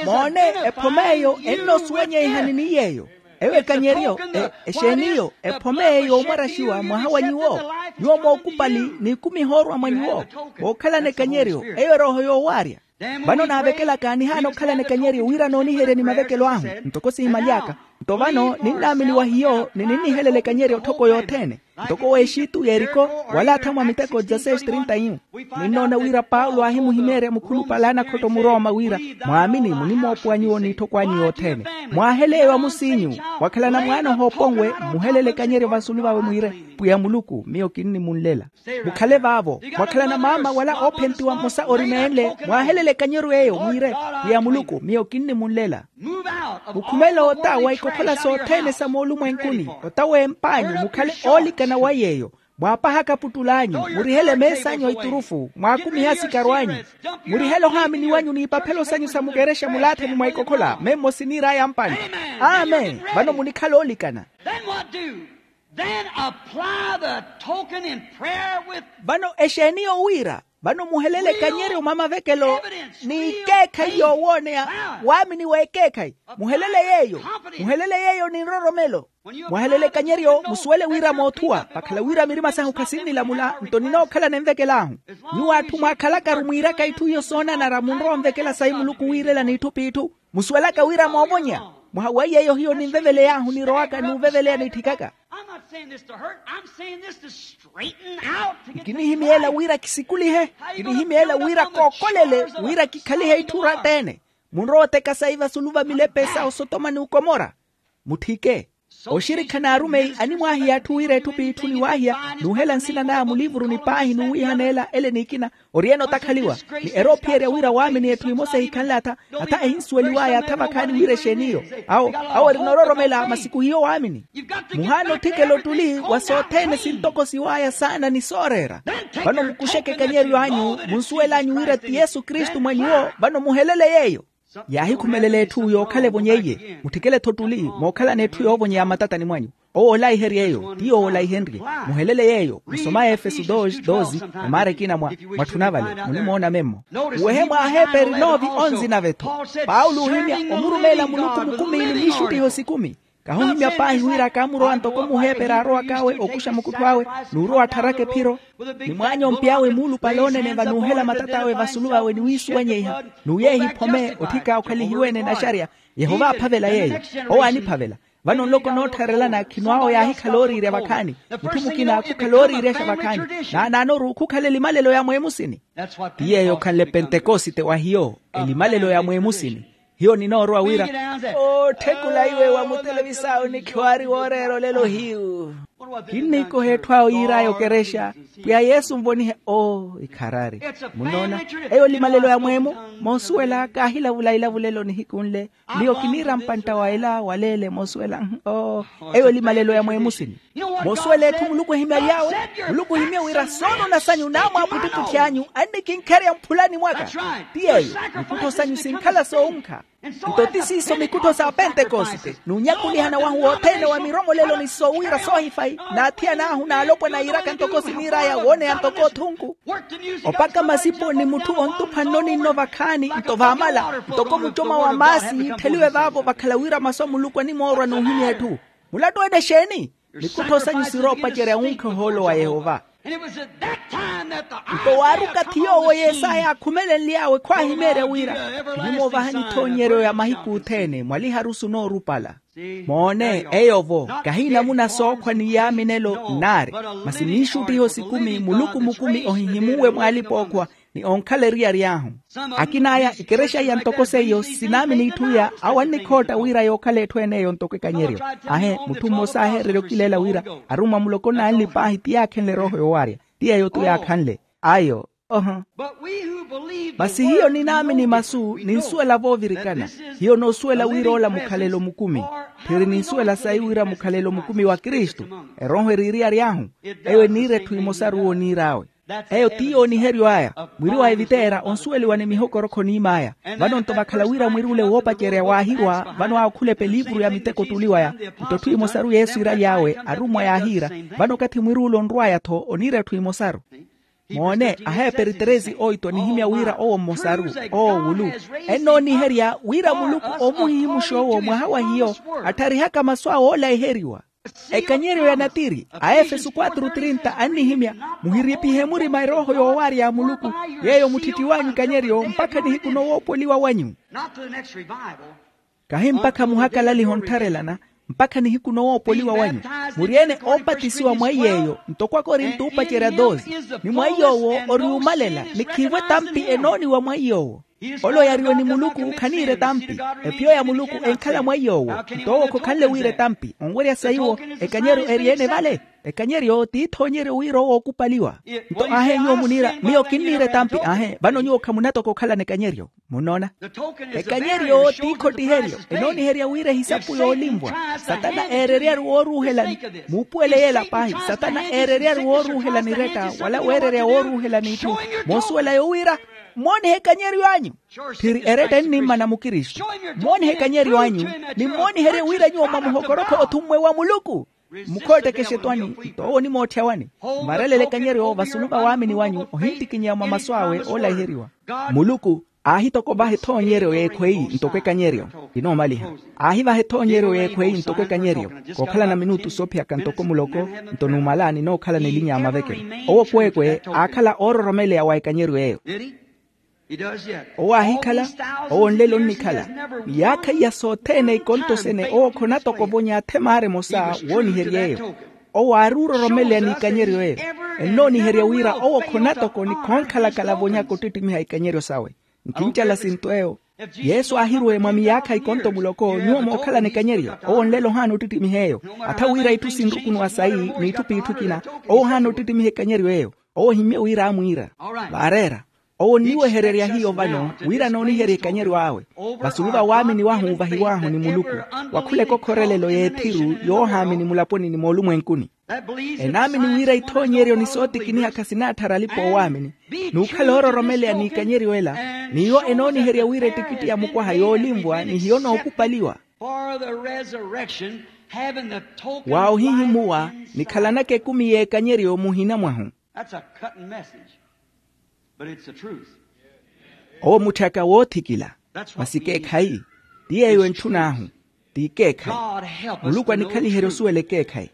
Moone, ephome eyo ennoosuwenyeihani ni yeeyo. Eyo ekanyeryo, exeeniyo ephome eyo yoomwaraxiwa mwaha wa nyuwo. Nyuwo mookupali n'ikumi ehoorwa mwa nyuwo. Mookhalana ekanyeryo. Eyo erooho yoowaarya. Vano naavekelaka nihaana okhalana ekanyeryo wira nooniherya ni mavekelo ahu. Ntoko siimaly'aka. Nto vano ninnaamini wa hiyo ni ninnihelela ekanyeryo tthoko yothene. Ntoko w'exitu yeriko, wala athamwa miteko dezasexi trinta e um. Ninnoona wira paulo aahimuhimeerya mukhulupale a nakhotto murooma wira, mwaamini munimoopuwa nyuwo n'itthoko anyu yothene. Mwaahele eyo amusiinyu. Wakhalana mwaana ohooponwe, muhelele ekanyeryo vasulu vawe mwiire, pwiya muluku miyo kinnimunlela. Mukhale vaavo. Mwakhalana maama wala oophentiwa mmosa ori neenle, mwaahelele ekanyeryo eyo mwiire, pwiya muluku miyo kinnimunlela. Mukhumele ota wa ikokhola sothene sa moolumwenkuni, ota w'emp'anyu mukhale oolikana wa yeeyo. Mwaapahaka aputtul'anyu, murihele mees'anyu a iturufu, mwaakumihe asikaru anyu. Murihele ohaamini wanyu n'ipaphelo sanyu sa mukerexa mulaathani mwa ikokhola memmo siniir'aya mpanta. Amen. Vano munikhala oolikana. Then apply the token in prayer with. Vano exeeni yowiira? Vano muhelele ekanyeryo mwa mavekelo n'ikeekhayi yoowooneya. Waamini w'ekeekhayi. Muhelele yeeyo. Muhelele yeeyo ni nroromelo. Mwahelele ekanyeryo musuwele wira moothuwa vakhala wira mirima sahu khasinnilamula nto ninookhalana envekel'ahu. Nyuwo atthu mwaakhalakaru mwiiraka itthu iyo soonanara munrowa onvekela sayi muluku wiirela n'itthu p'itthu. Musuwelaka wira moovonya. Mwaha wa yeeyo hiyo ninveveley'ahu nirowaka n'uveveleya nitthikaka. I'm not saying this to hurt. I'm saying this to straighten out, to get things right. Nkinihimyela wira kisikulihe. Nkinihimyela wira kookolele wira kikhalihe itthu ratt'ene. Munrowa oteka sayi vasulu va milepe sa osotoma ni ukomora. Mutthike. Oxirikha n'arumeyi animwaahiya atthu wira etthu p'itthu niwaahiya, n'uhela nsina naya muliivuruni paahi n'uwiihaneela ele n'ikina. Ori-ene otakhaliwa ni eroophiyerya wira waamini etthu emosa ehikhanle atha. Atha ehinsuweliw'aya atha vakhaani wira exeeni iyo. Awo awo erina ororomela masi khuhiyo waamini. Muhaana otthikela ottuli wa sothene sintokosiw'aya saana ni sooreera. Vano mukuxeke ekanyeryo anyu munsuwel'anyu wira ti yesu kristu mwa nyuwo. Vano muhelele yeeyo. Yaahikhumelela etthu yookhala evonyeiye. Mutthikele-tho ottuli mookhalana etthu yoovonyeya mmatatani mwanyu. Owo olaiherye eyo ti yowo olaihenrye. Muhelele yeeyo musoma efeso doze doze. Emaara ekina mwa mwatthuna vale munimoona memmo. Uwehe mwa aheeperi nove onze nave-tho. Paulo oohimya omurumeela muluku mukumiini mwiixuttiho sikumi. Kahuhimya paahi wira kaamurowa ntoko muheeperi aarowak'awe okuxa mukuttho awe n'urowa attharaka ephiro. Ni mwaanyompi awe muulupale onene vanuuhela matat'awe vasulu vawe ni wiisuwanyeiha n'uyeeha iphome otthika okhalihiwe-ene naxarya. Yehova aaphavela yeeyo. Owo aaniphavela. Vano nloko noottharelana khino awo yaahikhala ooriirya vakhaani. Mutthu mukina khukhala ooriiryaxa vakhaani. Naanaanoru khukhala elimalelo ya mweemusini. Ti yeeyo okhanle pentekosite wa hiyo. Elimalelo ya mweemusini. Hiyo ninoorowa wira ootthekula iwe wa mutelevis'awe nikhiwaari wooreera olelo hiyu. Kinniikoha etthu awo yiir'aya okerexa. Pwiya yesu nvonihe oo ikharari. Munnoona? Eyo elimalelo ya mweemo. Moosuwela kaahilavula ilavulelo nihiku nle. Miyo kiniira mpantta wa ela waleele moosuwela. Oo. Eyo elimalelo ya mweemusini. Moosuwela etthu muluku ehimyaly'awe. Muluku ohimye wira soonona sanyu naamwaaputtuputti anyu annikinkherya mphulani mwaka. Ti yeeyo. Nikuttho sanyu sinkhala soonkha. Nto ti siiso mikuttho sa pentekoste n'unyakulihana wahu wothene wa miromolelo ni sowiira soohifayi, n'athiyan'ahu n'alopwana yiiraka ntoko siniir'aya wooneya ntoko othunku. Opaka masipo ni mutthu ontuphwa nno ni nno vakhaani nto vaamala, ntoko mucoma wa maasi yiittheliwe vaavo vakhala wira masu a muluku animoorwa n'uhimya etthu. Mulattu ene exeeni? Mikuttho sanyu siroopacerya wunkha ohoolo wa yehova. Nto waaruka thi yoowo yesaya aakhumelenly'awe khwaahimeerya wira, kinimoovahanyu ithoonyeryo ya mahiku othene mwa liharusu noorupala. Moone eyo-vo, kahi namuna sookhwa ni yaaminelo nnaari, masi miixuttiho sikumi muluku mukumi ohihimuwe mw'alipa-ookhwa, ni onkhala eriyari ahu. Akin'aya ikerexa iya ntoko seiyo sinaamini itthu iya, awo annikhootta wira yookhala etthu en'eyo ntoko ekanyeryo. Ahe mutthu mmosa aaheererya okileela wira arummwa muloko n'anli paahi ti yaakhenle erooho yoowarya. Ti yeeyo-tho yaakhanle. Ayo. Oho. Masi hiyo ninaamini masu ninsuwela voovirikana. Hiyo noosuwela wira ola mukhalelo mukumi. Tthiri ninsuwela sayi wira mukhalelo mukumi wa kristu. Erooho eri eriyari ahu. Eyo eniira etthu emosaru wooniir'awe. Eyo ti yooniheryo aya. Mwiri wa eviteera onsuweliwa ni mihokorokho oniim'aya. Vano nto vakhala wira mwiri ule woopacerya waahirwa vano aakhulepa eliivuru ya miteko ottuli waya. Nto etthu emosaru yesu iiraly'awe arummwa yaahiira. Vano okathi mwiri ule onrw'aya-tho oniira etthu emosaru. Moone aheeperiteresi oito anihimya wira owo mmosaru, owo wulu, ennooniherya wira muluku omuhihimuxa owo mwaha wa hiyo. Attharihaka masu awe oolaiheriwa. Ekanyeryo ya natiri a efesu quatro trinta annihimya, muhiripihe murima erooho yoowaarya ya muluku, yeeyo mutthitthi w'anyu ekanyeryo mpakha nihiku nowoopoliwa wanyu. Kahi mpakha muhakalaliha onttharelana, mpakha nihiku nowoopoliwa wanyu. Muri-ene oopatisiwa mwa iy'eyo ntoko akorinto oopacerya doze. Ni mwa iy'owo ori umalela ni khiivo etampi enooniwa mwa iy'owo. Ole oyariwe ni muluku khaniira etampi. Ephiyo ya muluku enkhala mwa iy'owo. Nto owo khokhanle wiira etampi onwerya sayiwo. Ekanyeryo eri-ene vale. Ekanyeryo ti ithoonyeryo wira owo ookupaliwa. Nto aahe nyuwo muniira miyo kinniira etampi aahe vano nyuwo khamunatoka okhalana ekanyeryo. Munnoona? Ekanyeryo ti ikhottiheryo enooniherya wira ehisapu yoolinvwa. Satana eereryari wooruuhelani. Muupuwele yeela paahi satana eereryari wooruuhelani eretta wala weererya wooruuhelani itthu. Moosuwela yowira mmoonihe ekanyeryo anyu. Tthiri eretta ennimmana mukristu. Mmoonihe ekanyeryo anyu. Ni mmooniherye wira nyuwo mwa muhokorokho othummwe wa muluku. Mukhootteke exetwani. Nto owo onimootthya wani? Mvarelele ekanyeryo vasulu va waamini wanyu ohinttikinyeya mwa masu awe oolaiheriwa. Muluku aahitokovaha ethoonyeryo y'ekhweyi ntoko ekanyeryo. Kinoomaliha. Aahivaha ethoonyeryo y'ekhweyi ntoko ekanyeryo. Kookhalana minutu soophiyaka ntoko muloko. Nto numala ninookhalana elinya ya mavekelo. Owo kweekwe aakhala oororomeleya wa ekanyeryo eyo. Owo aahikhala. Owo nlelo onnikhala. Miyaakha iya sothene ikontosene owo khonatokovonya athemaari emosa woonihery'eyo. Owo aari ororomeleya n'ikanyeryo eyo. Ennooniherya wira owo khonatoko ni khoonkhalakhala vonyaka ottittimiha ikanyeryo sawe. Nkincala sinto eyo. Yesu aahiruwe mwa miyaakha ikonto muloko nyuwo mookhalana ekanyeryo. Owo nlelo ohaana ottittimiha eyo. Atha wira itthu sinrukunuwa sayi n'itthu p'itthu ikina. Owo ohaana ottittimiha ekanyeryo eyo. Owo ohimmye wira amwiira. Vaareera. Owo onniwehererya hiyo vano wira nooniherya ekanyeryo awe. Vasulu va waamini wahu vahiw'ahu ni muluku. Wa khula ekokhorelelo y'ethiru yoohaamini mulaponi ni moolumwenkuni. Enaamini wira ithoonyeryo ni sootikinihaka sinaatthara alipa-oowaamini. N'ukhala oororomeleya n'ikanyeryo ela. N'iwo enooniherya wira ettikitti ya mukwaha yoolinvwa ni hiyo nookupaliwa. Wa ohihimuwa. Nikhalanaka ekumi y'ekanyeryo muhina mwahu. That's a cutting message. But it's the truth. Owo mutthaka woothikila. Masi ekeekhayi. Ti yeeyo entthun'ahu. Ti ekeekhayi. Muluku anikhaliherye osuwela ekeekhayi.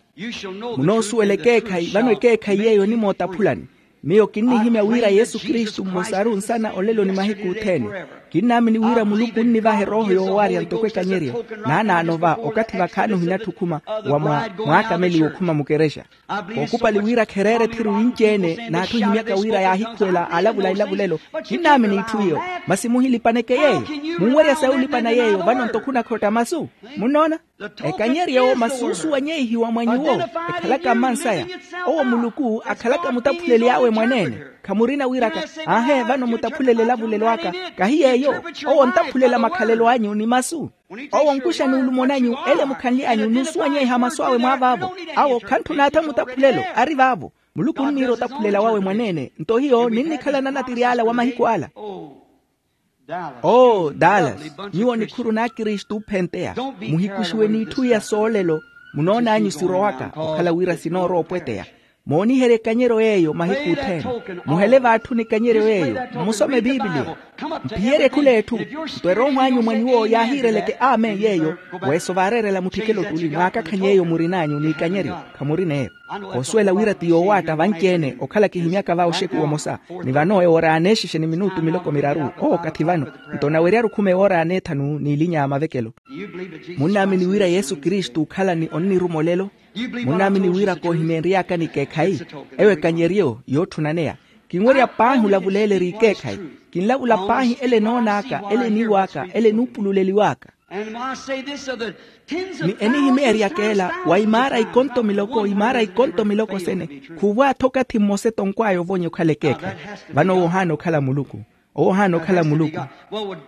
Munoosuwela ekeekhayi vano ekeekhayi yeeyo onimootaphulani. Miyo kinnihimya wira yesu kristu mmosaru nsana olelo ni mahiku othene. Kinnaamini wira muluku onnivaha erooho yoowaarya ntoko ekanyeryo. Naanaano va okathi vakhaani ohinatthi okhuma wa mwaakameliwa okhuma mukerexa. Kookupali wira khereera ethiru inci-ene n'atthu ohimyaka wira yaahikhuwela alavula ilavulelo. Kinnaamini itthu iyo. Masi muhilipaneke yeeyo. Munwerya sayi olipana yeeyo vano nto khunakhotta masu? Munnoona? Ekanyeryo masi oosuwanyeihiwa mwa nyuwo. Ekhalaka mmansaya. Owo muluku akhalaka mutaphuleli awe mwaneene. Khamurina wiraka, aahe vano mutaphulele elavulelo aka. Kahi yeeyo. Owo ontaphulela makhalelo anyu ni masu. Owo onkuxa nuulumo nanyu ele mukhanly'anyu nuusuwanyeiha masu awe mwaavaavo. Awo khantthuna atha mutaphulelo ari vaavo. Muluku onniira otaphulela wawe mwaneene nto hiyo ninnikhalana natiri ala wa mahiku ala. Oo dallas, nyuwo nikhuru n'akristu ophenteya, muhikuxiwe n'itthu iya soolelo. Munoon'anyu sirowaka okhala wira sinoorowa opweteya. Mooniherye ekanyeryo yeeyo mahiku othene. Muhele v'atthu n'ekanyeryo yeeyo. Mmusome bibiliya. Mphiyerye khul'etthu. Nto erooho anyu mwa nyuwo yaahiireleke amen yeeyo. Weeso vaareerela mutthikelo tuli mwaakakhany'eyo murin'anyu n'ikanyeryo. Khamuri n'eyo. Koosuwela wira ti yoowaatta vanci-ene okhala kihimyaka va oxeku omosa. Ni vano ewoora aaneexixe ni minutu miloko miraru. Oo kathi vano. Nto naweryaru khuma ewoora aaneethanu n'ilinya ya mavekelo. Munnaamini wira yesu kristu okhala ni onniruma olelo? Munnaamini wira koohimeenry'aka n'ikeekhayi? Eyo ekanyeryo yootthunaneya. Kinwerya paahi olavuleeleriwa ikeekhayi. Kinlavula paahi ele enoon'aka ele eniiw'aka ele enuupululeliw'aka. Ni enihimeeryaka ela wa imaara ikonto miloko imaara ikonto miloko sene. Khuuvo atha okathi mmosa etonkw'aya ovonya okhala ekeekhayi. Vano owo ohaana okhala muluku. Owo ohaana okhala muluku.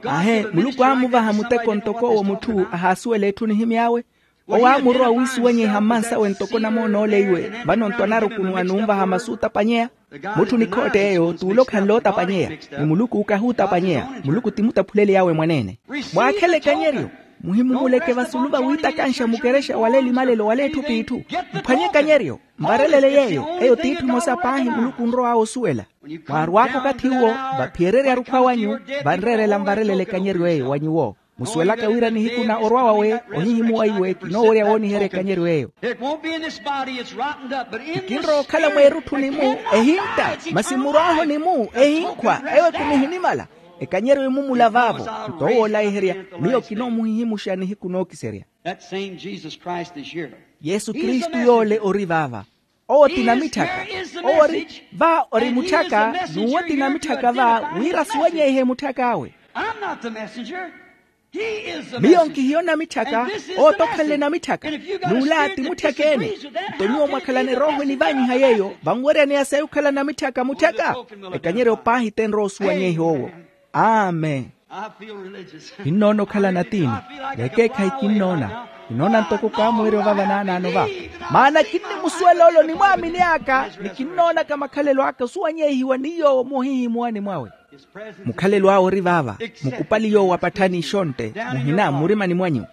Ahe muluku aamuvaha muteko ntoko owo mutthu ahaasuwela etthu nihimy'awe. Owo aamurowa wiisuwanyeiha mmansawe ntoko namoon'ole iwe. Vano nto anarukunuwa n'umvaha masu otapanyeya. Mutthu nikhoott'eyo t'ule okhanle otapanyeya. Ni muluku kahuutapanyeya. Muluku ti mutaphuleley'awe mwaneene. Mwaakhele ekanyeryo. Muhimumuleke vasulu vawiitakanxa mukerexa wala elimalelo wala etthu p'itthu. Mphwanye ekanyeryo. Mvarelele yeeyo. Eyo t'itthu emosa paahi muluku onrow'awe osuwela. Mwaarw'aka okathi uwo. Vaphiyererya arukhwa wanyu. Vanreerela mvarelele ekanyeryo eyo wa nyuwo. Musuwelaka wira nihiku na orwa wawe ohihimuwa iwe kinoowerya wooniherya ekanyeryo eyo. Kikinrowa okhala mweerutthuni-mu ehintta. Masi murw'aho ni-mu ehinkhwa. Eyo ekumi ehinimala. Ekanyeryo emumula vaavo. Nto owo olaiherya. Miyo kinoomuhihimuxa nihiku nookiserya. Yesu kristu yoole ori vaava. Owo ti namitthaka. Owo ori va ori mutthaka. N'uwo ti namitthaka va wira asuwanyeihe mutthak'awe. Miyo nkihiyo namitthaka. Owo t'okhanle namitthaka. N'ula ti mutthaka-ene. Nto nyuwo mwakhalana erooho enivanyiha yeeyo vanweryaneya sayi okhala namitthaka mutthaka. Ekanyeryo paahi t'enrowa osuwanyeiha owo. Amen. Kinnoona okhala natiini. Vekeekhayi kinnoona. Kinnoona ntoko kaamuwerya ovava naanaano va. Maana kinnimusuwela ole onimwaamini aka ni kinnoonaka makhalelo aka osuwanyeihiwa ni yoowo muhihimuwani mwawe. Mukhalelo awe ori vaava. Mukupali yoowo apatthani ixontte. Muhina mmurimani mwanyu.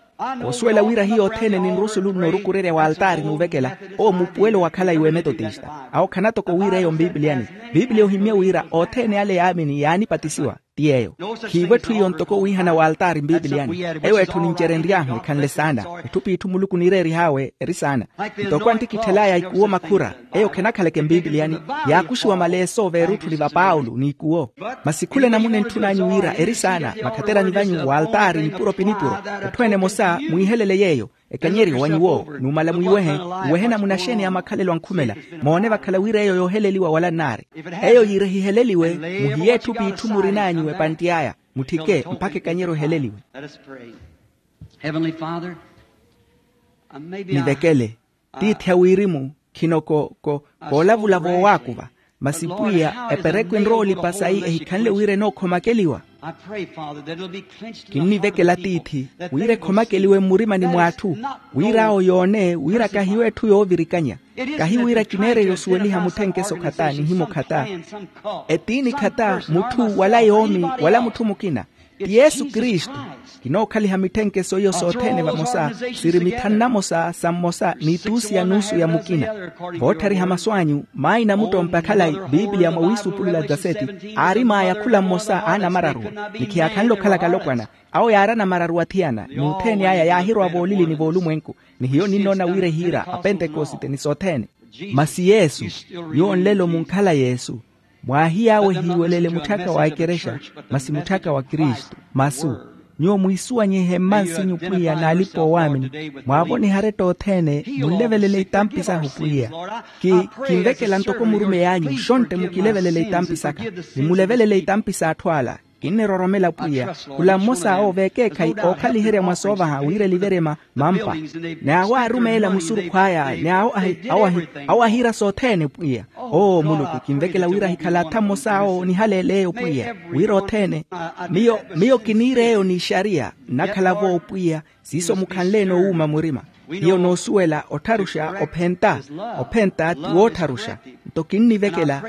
Koosuwela wira hiyo othene ninrusulu n'urukurerya w'altaari n'uvekela. Owo mupuwelo wakhala iwe metotista. Awo khanatoko wira eyo mbiipiliyani. Mbiipiliya ohimmye wira othene ale yaamini yaanipatisiwa. Ti yeeyo. Khiivo etthu iyo ntoko wiihana w'altaari mbiipiliyani. Eyo etthu nincerenry'ahu ekhanle saana. Etthu p'itthu muluku niireerih'awe eri saana. Ntoko anttikitthel'aya ikuwo makhura. Eyo khenakhaleke mbiipiliyani. Yaakuxiwa maleeso veerutthuni va paulo n'ikuwo. Masi khula enamuna entthun'anyu wira eri saana makhaterani vanyu w'altaari nipuro pi nipuro. Etthu ene emosa mwiihelele yeeyo. Ekanyeryo wa nyuwo numala mwiiwehe. Mwiiwehe namuna xeeni ya makhalelo ankhumela. Moone vakhala wira eyo yooheleliwa wala nnaari. Eyo yiire hiheleliwe. Muhiye etthu p'itthu murin'anyu epantti aya. Mutthike mpakha ekanyeryo eheleliwe. Nivekele. Tiithi a wirimu. Khino ko ko koolavula voowaakuva. Masi pwiya eperekwe enrowa olipa sayi ehikhanle wira enookhomakeliwa. Kinnivekela tiithi wira ekhomakeliwe mmurimani mw'atthu. Wir'awo yoone wira kahiyo etthu yoovirikanya. Kahi wira kineereya osuweliha mutthenkeso khata nihimo khata. Etiini khata mutthu wala yoomi wala mutthu mukina. Ti yesu kristu. Kinookhaliha mitthenkeso iyo sothene vamosa. Siri mithanu namosa sa mmosa n'ituusi ya nuusu ya mukina. Vootthariha masu anyu maayi namuttompe akhalayi. Biipiliya mwawiisupulula gaseti. Aarim'aya khula mmosa aanamararuwa. Ni khiyaakhanle okhalaka alopwana. Awo yaari anamararuwa athiyana n'uthene aya yaahirowa voolilini voolumwenku. Ni hiyo ninnoona wira ehiira apentekosite ni sothene. Masi yesu. Nyuwo nlelo munkhala yesu. Mwaahiy'awe hiiwelele mutthaka wa ekerexa. Masi mutthaka wa kristu. Masu. Nyuwo mwiisuwanyihe mmansinyu pwiya n'alipa oowaamini. Mwaavoniha aretta othene munlevelele itampi sahu pwiya. Ki kinvekela ntoko murumeyi anyu xontte mukilevelele itampi saka. Ni mulevelele itampi s'atthu ala. Kinniroromela pwiya. Khula mmosa awo vekeekhayi ookhaliherya mwa soovaha wira eliverema. Mampa. Ni awo aarumeela musurukhu aya ni awo ahiira sothene pwiya. Oo muluku kinvekela wira ahikhala atha mmosa awo nihaleel'eyo pwiya wira othene. Miyo miyo kiniir'eyo n'ixariya nnakhala-vo pwiya. Siiso mukhanle-ene owuuma murima. Hiyo noosuwela ottharuxa ophenta. Ophenta ti woottharuxa. Nto kinnivekela,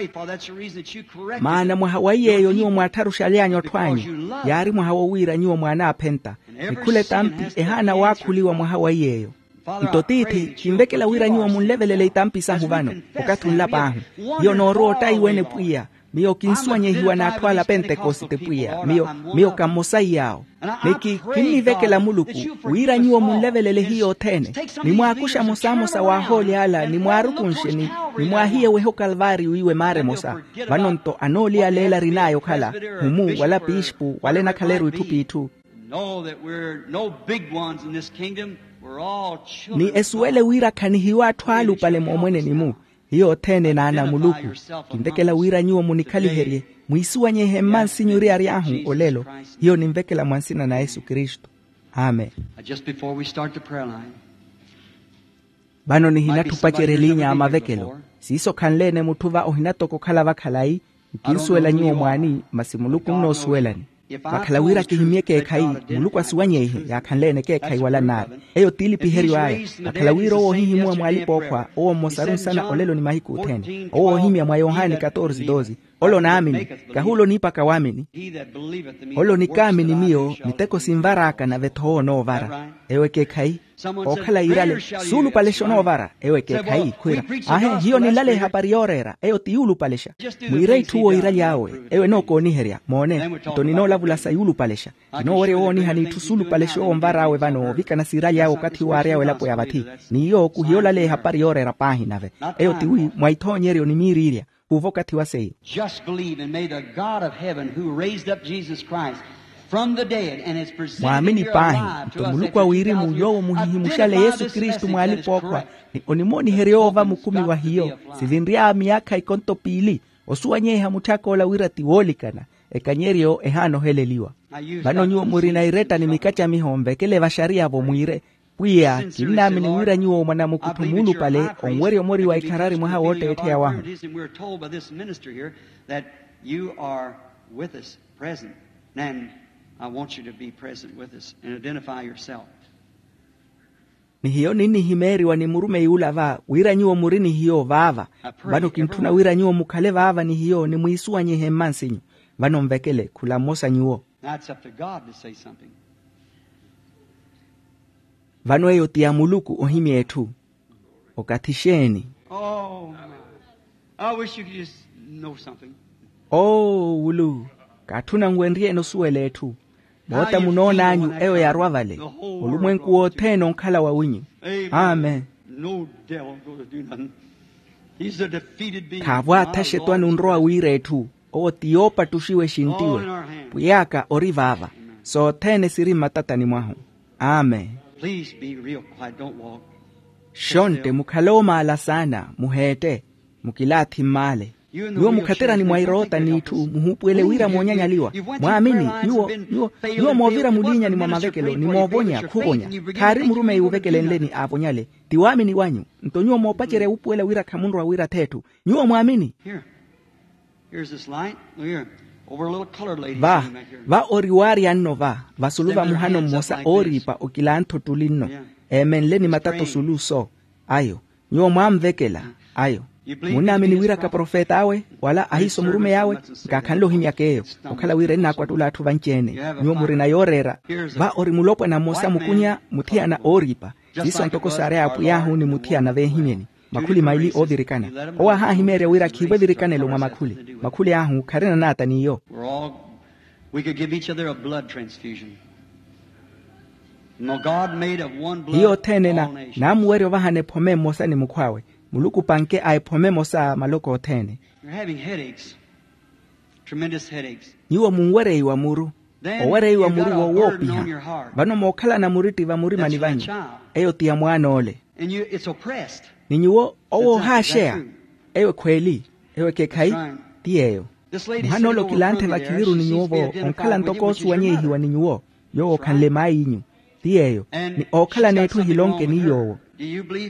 maana mwaha wa iy'eyo nyuwo mwaattharuxaly'anyu atthu anyu, yaari mwaha wowiira nyuwo mwaanaaphenta. Ni khula etampi ehaana waakhuliwa mwaha wa iy'eyo. Nto tiithi kinvekela wira nyuwo munlevelele itampi sahu vano, okathi onlap'ahu. Hiyo noorowa ottaiwene pwiya. Miyo kinsuwanyehiwa n'atthu ala apentekosite pwiya. Miyo miyo ka mmosa iy'awo. Ni ki kinnivekela muluku wira nyuwo munlevelele hiyo othene, ni mwaakuxa mosamosa w'ahooli ala ni mwaarukunxe ni mwaahiye weha okalvaari wiiwe maara emosa. Vano-nto anooliyaleela arin'aya okhala, humu wala piispu wala enakhaleru itthu p'itthu. Know that we're no big ones in this kingdom. We're all children. Ni esuwele wira khanihiyo atthu alupale moomweneni-mu. Hiyo othene naana a muluku. Kinvekela wira nyuwo munikhaliherye, mwiisuwanyehe mmansinyu oriyari-ahu olelo. Hiyo ninvekela mwa nsina na yesu kristu. Amen. Just before we start the prayer line, vano nihinatthupacerya elinya a mavekelo. Siiso khanle-ene mutthu va ohinatoka okhala vakhalayi. Nkinsuwela nyuwo mwaani, masi muluku nnoosuwelani. Vakhala wira kihimye ekeekhayi, muluku asuwanyeihe yaakhanle-ene ekeekhayi wala nnaari. Eyo t'ilipiheryo aya. Vakhala wira owo ohihimuwa mw'alipa-ookhwa owo mmosaru nsana olelo ni mahiku othene, owo oohimya mwa yohani katorse doze. Ole onaamini, kahi ole oniipaka waamini. Ole onikaamini miyo miteko sinvar'aka nave-tho owo onoovara. Eyo ekeekhayi. Ookhala yiirale, suulupalexa onoovara. Eyo ekeekhayi khwiira, aahe hiyo ninlale ehapari yooreera eyo ti yuulupalexa. Mwiire itthu owo yiiraly'awe. Eyo enookooniherya moone. Nto ninoolavula sa yuulupalexa. Kinoowerya owoonihani itthu suulupalexa owo onvar'awe vano ovikana siiraly'awe okathi waary'awe elapo ya vathi. N'iyo kuhiyoolale ehapari yooreera paahi nave. Eyo tiwi mwa ithoonyeryo ni miiriirya. Khuuva okathi wa seiyo. Just believe, and may the God of heaven, who raised up Jesus Christ from the dead and has presented him here alive to us after two thousand years, a good amount of this message Christ, ni onimooniherya oova mukumi wa hiyo, sivinry'aya miyaakha ikonto piili, osuwanyeiha mutthaka ola wira ti woolikana, ekanyeryo ehaana oheleliwa. Vano nyuwo murina iretta ni mikacamiho onvekele vaxariya-vo mwiire, pwiya kinnaamini wira nyuwo mwanamukuttho muulupale onwerya omori wa ikharari mwaha wootteettheya wahu. That you are with us present, and I want you to be present with us and identify yourself. Ni hiyo ninnihimeeriwa ni murumeyi ula va wira nyuwo muri ni hiyo vaava. Vano kintthuna wira nyuwo mukhale vaava ni hiyo ni mwiisuwanyihe mmansinyu. Vano nvekele khula mmosa nyuwo. Now it's up to God to say something. Vano eyo ti ya muluku ohimya etthu. Okathi xeeni? Oh, I wish you could just know something. Oo wulu, kaatthuna nwenryeene osuwela etthu. Moota munoon'anyu eyo yarwa vale. Olumwenku wothene onkhala wawinyu. Amen. No devil going to do nothing. He's a defeated being. Khaavo athaxetwani onrowa wiira etthu. Owo ti yoopattuxiwa exinttiwe. Pwiy'aka ori vaava. Sothene siri mmatatani mwahu. Amen. Please be real quiet, don't walk. Xontte mukhale oomaala saana, muheette. Mukilaathi mmaale. Nyuwo mukhaterani mwa iroota n'itthu muhuupuwele wira moonyanyaliwa. Mwaamini? Nyuwo nyuwo nyuwo moovira muliinyani mwa mavekelo ni moovonya khuvonya. Khaari murumeyi wuvekelenleni aavonyale. Ti waamini wanyu. Nto nyuwo moopacerya wuupuwela wira khamunrowa wira th'etthu. Nyuwo mwaamini? Va va ori waarya nno va vasulu va muhano mmosa ooriipa okilantha ottuli nno. Eemenle ni matata osulu so. Ayo. Nyuwo mwaanvekela. Ayo. Munnaamini wira kaprofet'awe wala ahiiso murumey'awe? Nkaakhanle ohimyaka eyo. Okhala wira ennaakwattula atthu vanci-ene. Nyuwo murina yooreera. Va ori mulopwana mmosa mukunya muthiyana ooriipa. Siiso ntoko saari a apwiy'ahu ni muthiyana veehimyeni. Makhuli maili oovirikana. Owo ahaahimeerya wira khiivo evirikanelo mwa makhuli. Makhuli ahu kharina naata n'iyo. We're all we could give each other a blood transfusion. Hiyo othene naamuwerya ovahana ephome mmosa ni mukhw'awe. Muluku opanke a ephome emosa maloko othene. You're having headaches. Tremendous headaches. Nyuwo munwereiwa muru. Owereiwa muru wowoopiha. Vano mookhalana muritti vamurimani vanyu. Eyo ti ya mwaan'ole. Ni nyuwo owo ohaaxeya. Eyo ekhweeli. Eyo ekeekhayi. Ti yeeyo. Muhan'ole okilanthe vakhiviru ni nyuwo-vo onkhala ntoko oosuwanyeihiwa ni nyuwo. Yoowo khanle maay'inyu. Ti yeeyo. Ni ookhalana etthu ehilonke ni yoowo.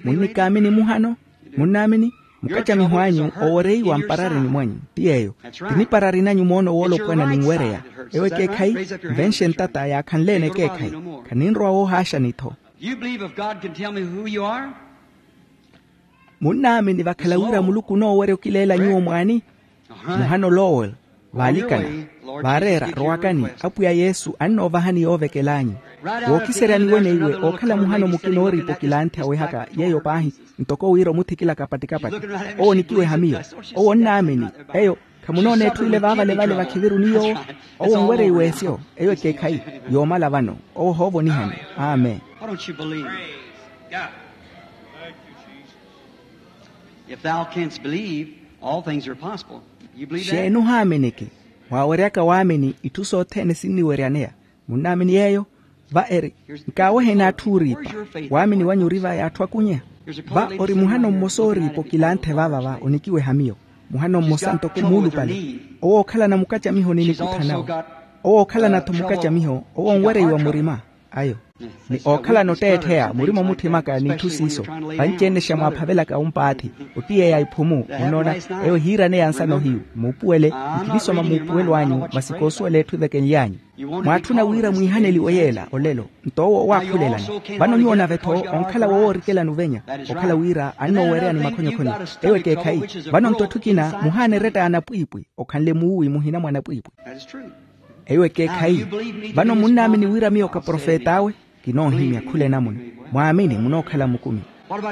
Munnikaamini muhano? Munnaamini? Mukacamiho anyu owereiwa mpararini mwanyu. Ti yeeyo. Ti niparari nanyu moona owoolopwana ninwereya. Ewo ekeekhayi. Nvenxe ntata yaakhanle-ene ekeekhayi. Khaninrowa woohaaxani-tho. Do you believe if God can tell me who you are? Munnaamini vakhala wira muluku onoowerya okileela nyuwo mwaani? Muhano lowel, vaalikana, vaareera, rowakani. Apwiya yesu annoovahani yoovekel'anyu. Wookiseryani weneiwe ookhala muhano mukina ooriipa okilanthe awehaka yeeyo paahi, ntoko wira omuthikilaka pati-kapati. Owo onikiweha miyo. Owo onnaamini. Eyo khamunoona etthu ile vaavalevale vakhiviruni yoowo. Owo onwerya iweesyo. Eyo ekeekhayi. Yoomala vano. Owo ohoovonihani. Amen. Why don't you believe? If thou canst believe, all things are possible. You believe that? Xeeni ohaaminiki? Mwaaweryaka waamini itthu sothene sinniweryaneya. Munnaamini yeeyo? Va eri, nkaaweheni atthu ooriipa. Waamini wanyu ori vaya atthu akunya? Va ori muhano mmosa ooriipa okilanthe vaava va onikiweha miyo. Muhano mmosa ntoko muulupale. Owo ookhalana mukacamiho ni nikuthanawe. Owo ookhalana-tho mukacamiho owo onwereiwa murima. Ayo. Ni ookhalana otteettheya murima omuthimaka n'itthu siiso. Vanci-ene xa mwaaphavelaka ompaathi. Otiyeya iphumu. Munnoona? Eyo ehiiraneya nsano hiyu muupuwele. Nkhinisoma muupuwelo anyu masi koosuwela etthu evekenly'anyu. Mwaatthuna wira mwiihaneliwe yeela olelo. Nto owo owaakhulelani. Vano nyuwo nave-tho onkhala wowoorikelani ovenya. Okhala wira annooweereyani makhonyokhonyo. Eyo ekeekhayi. Vano nto etthu ekina muhaana eretta ya anapwiipwi. Okhanle muuwi muhina mwa anapwiipwi. Eyo ekeekhayi. Vano munnaamini wira miyo kaprofet'awe? Kinoohimya khula enamuna. Mwaamini munookhala mukumi.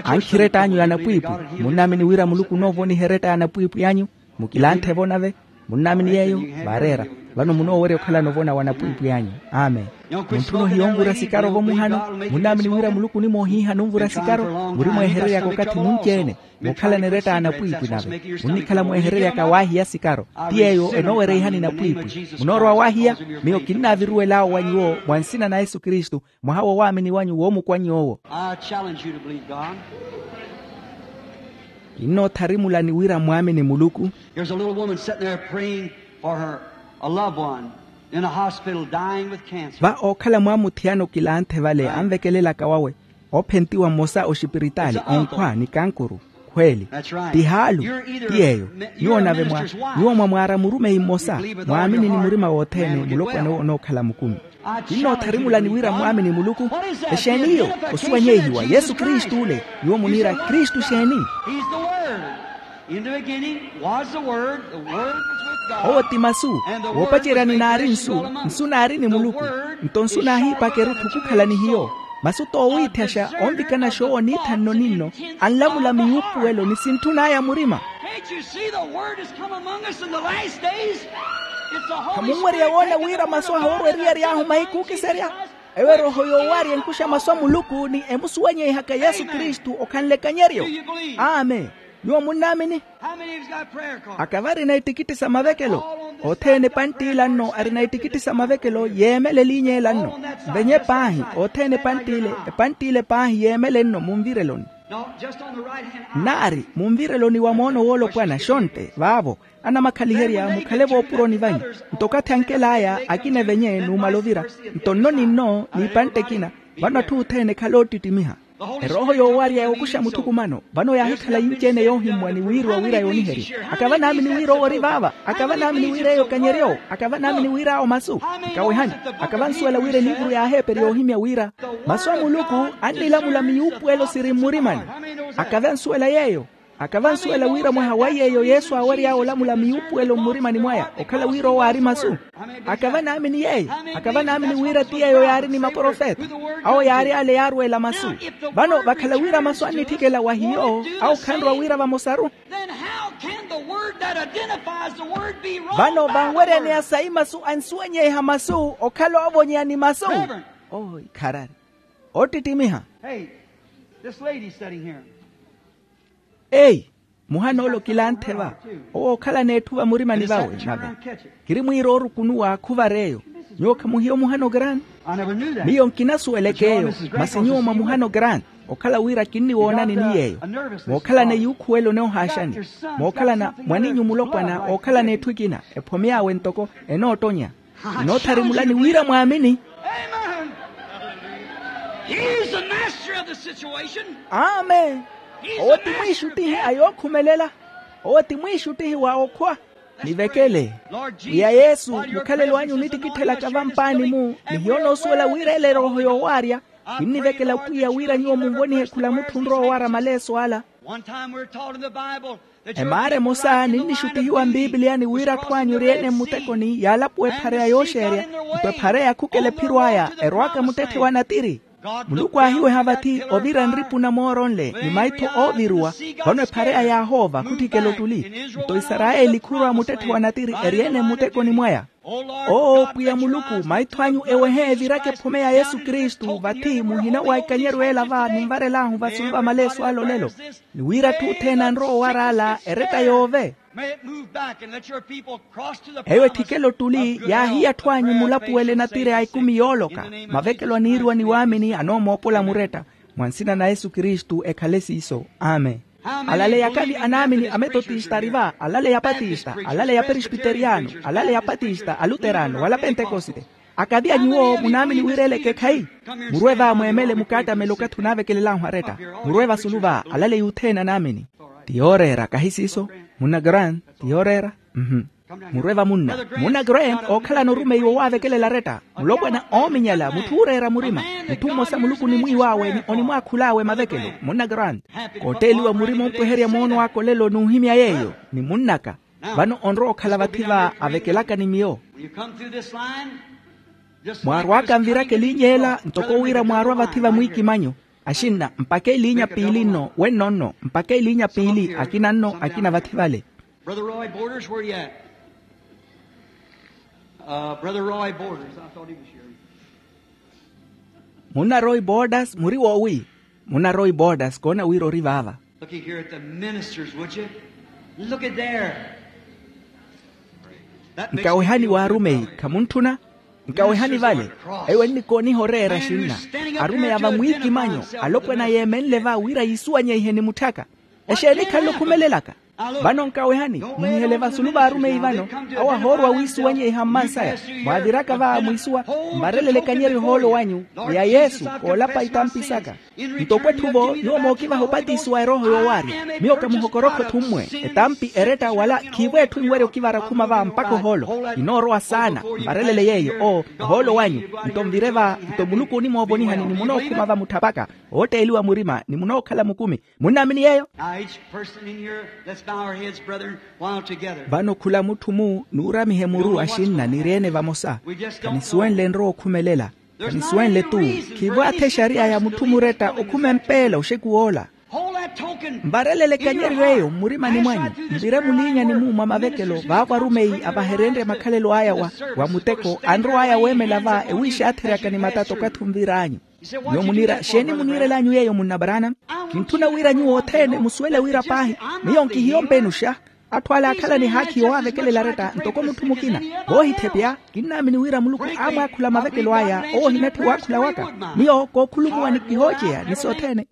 Ankhiretta anyu ya anapwiipwi? Munnaamini wira muluku onoovoniha eretta ya anapwiipwi anyu? Mukilanthe-vo nave. Munnaamini yeeyo? Vaareera. Vano munoowerya okhalana ovona wa anapwiipwi anyu. Amen. Muntthuna ohiya onvura sikaro-vo muhano. Munnaamini wira muluku onimoohiihana onvura sikaro? Muri mweehereryaka okathi munci-ene. Muukhalana eretta ya anapwiipwi nave. Munnikhala mweehereryaka waahiya sikaro. Ti yeeyo enoowereihani napwiipwi. Munoorowa waahiya? Miyo kinnaaviruwel'awo wa nyuwo mwa nsina na yesu kristu. Mwaha wa owaamini wanyu woomukwa nyuwo. I challenge you to believe God. Kinnootharimulani wira mwaamini muluku. There's a little woman sitting there praying for her, a loved one in a hospital dying with cancer. Va ookhala mwaamuthiyana okilanthe vale anvekelelaka wawe, oophentiwa mmosa oxipiritaali onkhwa ni kankuru. Khweeli. Ti haalu. Ti yeeyo. Nyuwo nave mwa nyuwo mwa mwaara murumeyi mmosa. Mwaamini ni murima wothene mulopwana owo onookhala mukumi. Kinnootharimulani wira mwaamini muluku. Exeeni iyo? Osuwanyeihiwa yesu kristu ole. Nyuwo muniira kristu exeeni? Owo ti masu. Woopacerya ni naari nsu. Nsu naari ni muluku. Nto nsu naahiipaka erutthu okukhala ni hiyo. Masu t'owiithaxa onvikana xoowo niithanno ninno. Anlamula miyuupuwelo ni sintthun'aya murima. Khamunwerya woona wira masu ahu orwa eriyari ahu mahiku okiserya? Eyo erooho yoowarya enkuxa masu a muluku ni emusuwanyeihaka yesu kristu okhanle ekanyeryo. Amen. Nyuwo munnaamini? Akava arina itikitti sa mavekelo? Othene epantt'ila nno arina itikitti sa mavekelo yeemela eliinya ela nno. Venye paahi othene epantt'ile epantt'ile paahi yeemele nno munvireloni. Naari munvireloni wa moono woolopwana xontte vaavo. Anamakhaliherya mukhale voopuroni vanyu. Nto okathi ankel'aya akina evenye numala ovira. Nto nno ni nno n'ipantte ekina. Vano atthu othene ekhale oottittimiha. Erooho yoowarya yookuxa muthukumano vano yaahikhala yinci-ene yoohimmwa ni wiiriwa wira yooniherya. Akava naamini wira owo ori vaava. Akava naamini wira eyo ekanyeryo. Akava naamini wira awo masu. Nkawehani. Akava ansuwela wira eliivuru y'aheeperi yoohimya wira masu a muluku annilamula miyuupuwelo siri mmurimani. Akava ansuwela yeeyo. Akava ansuwela wira mwaha wa yeeyo yesu aawery'awe olamula miyuupuwelo mmurimani mwaya okhala wira owo aari masu. Akava naamini yeeyo. Akava naamini wira ti yeeyo yaari ni maprofeta. Awo yaari ale yaarweela masu. Vano vakhala wira masu annitthikela wa hiyo awo khanrwa wira vamosaru. Vano vanweryaneya sayi masu ansuwanyeiha masu okhala oovonyeya ni masu. Oikharari. Oottittimiha. Eyi. Muhana ole okilanthe va. Owo ookhalana etthu vamurimani vawe nave. Kiri mwiira oorukunuwa khuvar'eyo. Nyuwo khamuhiya omuhano grant? Miyo nkinasuwelek'eyo. Masi nyuwo mwamuhano grant. Okhala wira kinniwoonani ni yeeyo. Mookhalana eyuukhuwelo onoohaaxani. Mookhalana mwaninyu mulopwana ookhalana etthu ekina ephome awe ntoko enoottonya. Inootharimulani wira mwaamini. Amen. Owo ti mwiixuttihi a yookhumelela. Owo ti mwiixuttihi wa okhwa. Nivekele. Pwiya yesu mukhalelo anyu onittikittelaka vampaani-mu. Ni hiyo onoosuwela wira ele erooho yoowarya. Kinnivekela pwiya wira nyuwo munvonihe khula mutthu onrowa owaara maleeso ala. Emaara emosa ninnixuttihiwa mpipiliyani wira atthu anyu ori-ene mmutekoni yaalapuwa ephareya yooxeerya, nto ephareya yakhukela ephiro aya erowaka muttetthe wa natiri. Muluku aahiweha vathi ovira nripu na mooronle ni maitho ooviruwa. Vano ephareya yaahoova khutthikela ottuli. Nto isarayeli khurwa muttetthe wa natiri eri-ene mmutekoni mwaya. Oo pwiya muluku, maitho anyu ewehe evirake ephome ya yesu kristu vathi muhina wa ikanyeryo ela va ninvarel'ahu vasulu va malesu ale olelo. Ni wira atthu othene anrowa owar'ala eretta yoove. Eyo etthikele ottuli yaahiya atthu anyu mulapuwele natiri a ekumi yooloka. Mavekelo aniiriwa ni waamini anoomoopola muretta. Mwa nsina na yesu kristu ekhale siiso. Amen. Alaleya akavi anaamini a metotista ari va, alaleya a patista, alaleya a perispiteriyano, alaleya a patista a luterano wala a pentekosite. Akavi a nyuwo munaamini wira ele ekeekhayi. Murwe va mweemele mukaattamelo okathi onaavekelel'ahu aretta. Murwe vasulu va alaleya othene anaamini. Ti yooreera kahi siiso? Munna grant ti yooreera. Murwe vamunna. Munna grant ookhalana orumeyi wowaavekelela aretta. Mulopwana oominyala mutthu ooreera murima. Mutthu mmosa muluku onimwiiw'awe ni onimwaakhul'awe mavekelo munna grant. Kootteeliwa murima ompweherya moono aka olelo n'uhimya yeeyo. Ni munn'aka. Vano onrowa okhala vathi va avekelaka ni miyo. Mwaarw'aka nviraka eliinya ela ntoko wira mwaarwa vathi va mwiikimanyo. Axinna mpakha eliinya piili nno wenno nno mpakha eliinya piili akina nno akina vathi vale. Brother roy borders where you at? Brother roy borders i thought he was here. Munna roy borders muri woowi? Munna roy borders koona wira ori vaava. Look at here at the ministers would you? Look at there. Nkawehani w'arumeyi khamuntthuna? Nkawehani vale. Eyo ennikooniha oreera axinna arumeyi a vamwiikimanyo alopwana yeemenle va wira yiisuwanyeihe ni mutthaka. Exeeni khanle okhumelelaka? Vano nkawehani muhihele vasulu v'arumeyi vano. Awo ahoorwa wiisuwanyeiha mmansaya. Mwaaviraka va mwiisuwa mvarelele ekanyeryo ohoolo wanyu. Ni a yesu koolapa itampi saka. Ntoko etthu-vo nyuwo mookivaha opatisiwa erooho yoowaarya. Miyo kamuhokorokho etthu mmwe. Etampi eretta wala khiivo etthu enwerya okivara okhuma va mpakha ohoolo. Kinoorowa saana mvarelele yeeyo oo ohoolo wanyu. Nto nvire va nto muluku onimoovonihani ni munookhuma va mutthapaka. Ootteeliwa murima ni munookhala mukumi. Munnaamini yeeyo? Vano khula mutthu-mu nuuramihe muru axinna niri-ene vamosa. Khanisuwenle enrowa okhumelela. Khanisuwenle-tu. Khiivo athe exariya ya mutthu muretta okhuma empeela oxeku woola. Mvarelele ekanyeryo eyo mmurimani mwanyu. Mvire muliinyani-mu mwa mavekelo vaavo arumeyi avahereenrye makhalelo aya wa muteko anrow'aya weemela va ewiixaatheryaka ni matata okathi onvir'anyu. Nyuwo muniira xeeni muniirel'anyu yeeyo munna branham? Kintthuna wira nyuwo othene musuwele wira paahi miyo nkihiyo mpenuxa. Atthu ale aakhala ni haakhi yowaavekelela aretta ntoko mutthu mukina. Voohitthepya kinnaamini wira muluku aamwaakhula mavekelo aya owo ohinatthi waakhula waka. Miyo kookhulumuwa ni kihooceya ni sothene.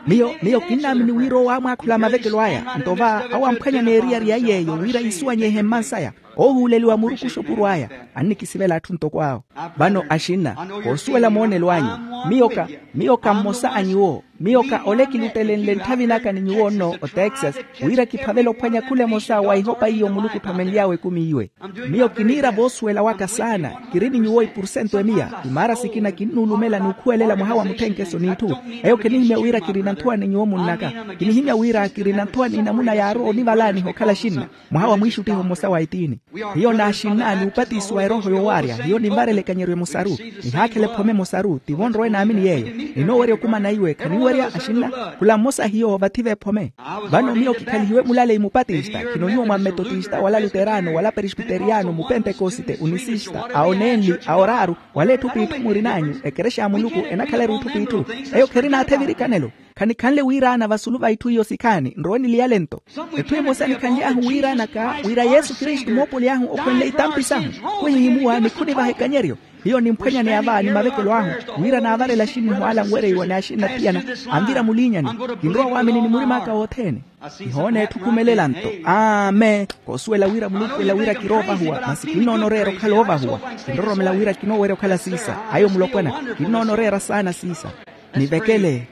Miyo miyo kinnaamini wira owo aamwaakhula mavekelo aya nto va awo amphwanya n'eriyari ya yeeyo wira yiisuwanyeihe mmansaya. Oohuuleliwa murukuxa opuro aya. Annikisivela atthu ntoko awo. Vano axinna koosuwela moonelo anyu. Miyo ka miyo ka mmosa a nyuwo. Miyo ka ole kilutelenle ntthavi naka ni nyuwo nno otexas wira kiphavele ophwanya khula emosa wa ihopa iyo muluku othomenly'awe ekumi iwe. Miyo kiniira voosuwela waka saana. Kiri ni nyuwo ipursento emiya. Imaara sikina kinnuulumela n'ukhuwelela mwaha wa mutthenkeso n'itthu. Eyo khinihimya wira kirina nthuwa ni nyuwo munnaka. Kinihimya wira kirina nthuwa n'inamuna yaarowa onivalaaniha okhala axinna. Mwaha wa mwiixuttiho mmosa wa etiini. Hiyo n'axinna n'upatisiwa erooho yoowaarya hiyo ninvarela ekanyeryo emosaru. Nihaakhela ephome emosaru tivo nrowe naamini yeeyo. Ninoowerya okumana iwe khaniwerya axinna. Khula mmosa hiyo vathi v'ephome. Vano miyo kikhalihiwe mulaleyi mupatista khino nyuwo mwa mmetotista wala luterano wala perispiteriyano mupentekosite unisista aonenli aoraaru wala etthu p'itthu murin'anyu ekerexa ya muluku enakhala erutthu p'itthu. Eyo kherinaatha evirikanelo. Khanikhanle wiiraana vasulu va itthu iyo sikhaani nrowe niliyale nto. Etthu emosa nikhanly'ahu wiiraanaka wira yesu kristu moopoly'ahu okhwenle itampi sahu. Khuhihimuwa ni khunivaha ekanyeryo. Hiyo nimphwenya ni ava ni mavekelo ahu wira naavarela axinnihu ala anwereiwa ni axinna thiyana anvira muliinyani. Kinrowa waamini ni murim'aka wothene. Nihoona etthu okhumelela nto. Amen. Koosuwela wira muluku ela wira kiroovahuwa masi kinnoona oreera okhala oovahuwa. Kinroromela wira kinoowerya okhala siisa ayo mulopwana. Kinnoona oreera saana siisa. Nivekele.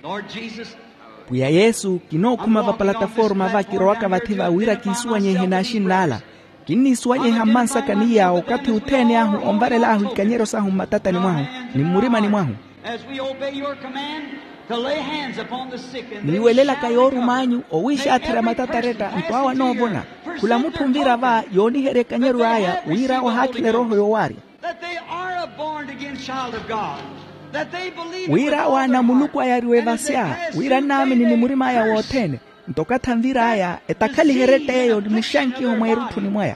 Pwiya yesu kinookhuma vapalataforma va kirowaka vathi va wira kiisuwanyeihe n'axinn'ala. Kinniisuwanyeiha mmansaka ni yaawo okathi othene ahu onvarel'ahu ikanyeryo sahu mmatatani mwahu ni mmurimani mwahu. Niiwelelaka yoorum'anyu owiixaatherya matata aretta nto awo anoovona. Khula mutthu onvira va yooniherya ekanyeryo aya wira ohaakhile erooho yoowaarya. Wira awo ana a muluku ayariwe vasya wira annaamini ni murim'aya wothene. Nto okathi anvir'aya etakhaliherye ett'eyo ni muxankiho mweerutthuni mwaya.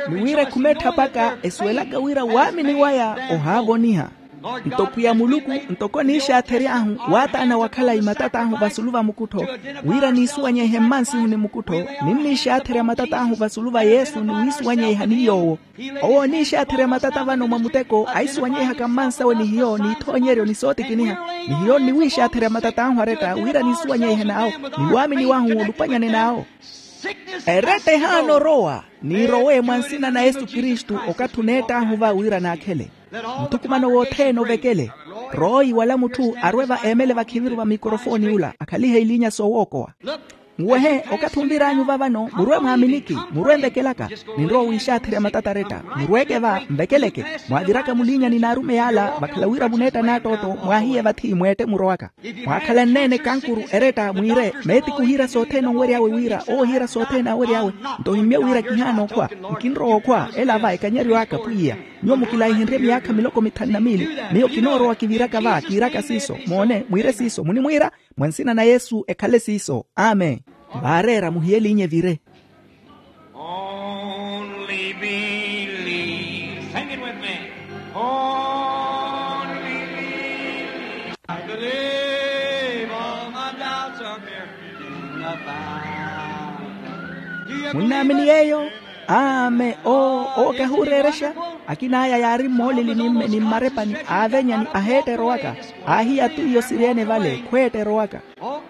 Ni wira ekhume etthapaka esuwelaka wira waamini waya ohaavoniha. Nto pwiya muluku ntoko oniixaathery'ahu waataana wa khalayi matat'ahu vasulu va mukuttho wira niisuwanyeihe mmansihu ni mukuttho. Ninniixaatherya matat'ahu vasulu va yesu ni wiisuwanyeiha ni yoowo. Owo oniixaatherya matata vano mwa muteko aisuwanyeihaka mmansawe ni hiyo n'ithoonyeryo ni sootikiniha. Ni hiyo nniwiixaatherya matat'ahu aretta wira niisuwanyeihe n'awo ni waamini wahu olupanyane n'awo. Eretta ehaana orowa. Niirowe mwa nsina na yesu kristu okathi oneett'ahu va wira naakhele. Muthukumano wothene ovekele. Royi wala mutthu arwe va eemele vakhiviru va mikorofooni ula akhalihe iliinya soowookowa. Muwehe okathi onvir'anyu va vano murwe mwaaminiki. Murwe nvekelaka. Ninrowa owiixaatherya matata aretta murweke va nvekeleke. Mwaaviraka muliinyani n'arumeyi ala vakhala wira muneetta n'attootto mwaahiye vathi mweette murowaka. Mwaakhala nneene kankuru eretta mwiire meetiku ohiira sothene onwery'awe wira owo ohiira sothene aawery'awe. Nto ohimmye wira kihaana okhwa. Nkinrowa okhwa ela va ekanyeryo aka pwiya. Nyuwo mukilaihenrye myaakha miloko mithanu na miili. Miyo kinoorowa kiviraka va kiiraka siiso moone mwiire siiso munimwiira. Mwa nsina na yesu ekhale siiso amen. Vaareera muhiyeliinye evire. Only believe. Sing it with me. Only believe. I believe all my doubts are buried in the fountain. Do you believe munnaamini it? Yeeyo. Amen. Oo kahuureerexa. Akin'aya yaari mmooleli ni mmarepani aavenyani aheetterowaka. Aahiya twiyo siri-ene vale khweetterowaka.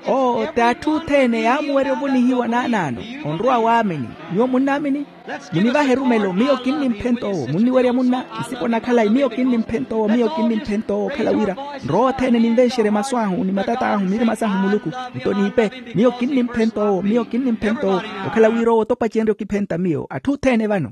Oo ti atthu othene yaamuwerya ovonihiwa naanaano. Onrowa waamini. Nyuwo munnaamini. Munivahe erumelo miyo kinnimphenta owo munniwerya munna. Nsipo na khalayi miyo kinnimphenta owo miyo kinnimphenta owo okhala wira nrowa othene ninvenxerye masu ahu ni matata ahu mirima sahu muluku. Nto niipe miyo kinnimphenta owo miyo kinnimphenta owo. Okhala wira owo topacenrye okiphenta miyo atthu othene vano.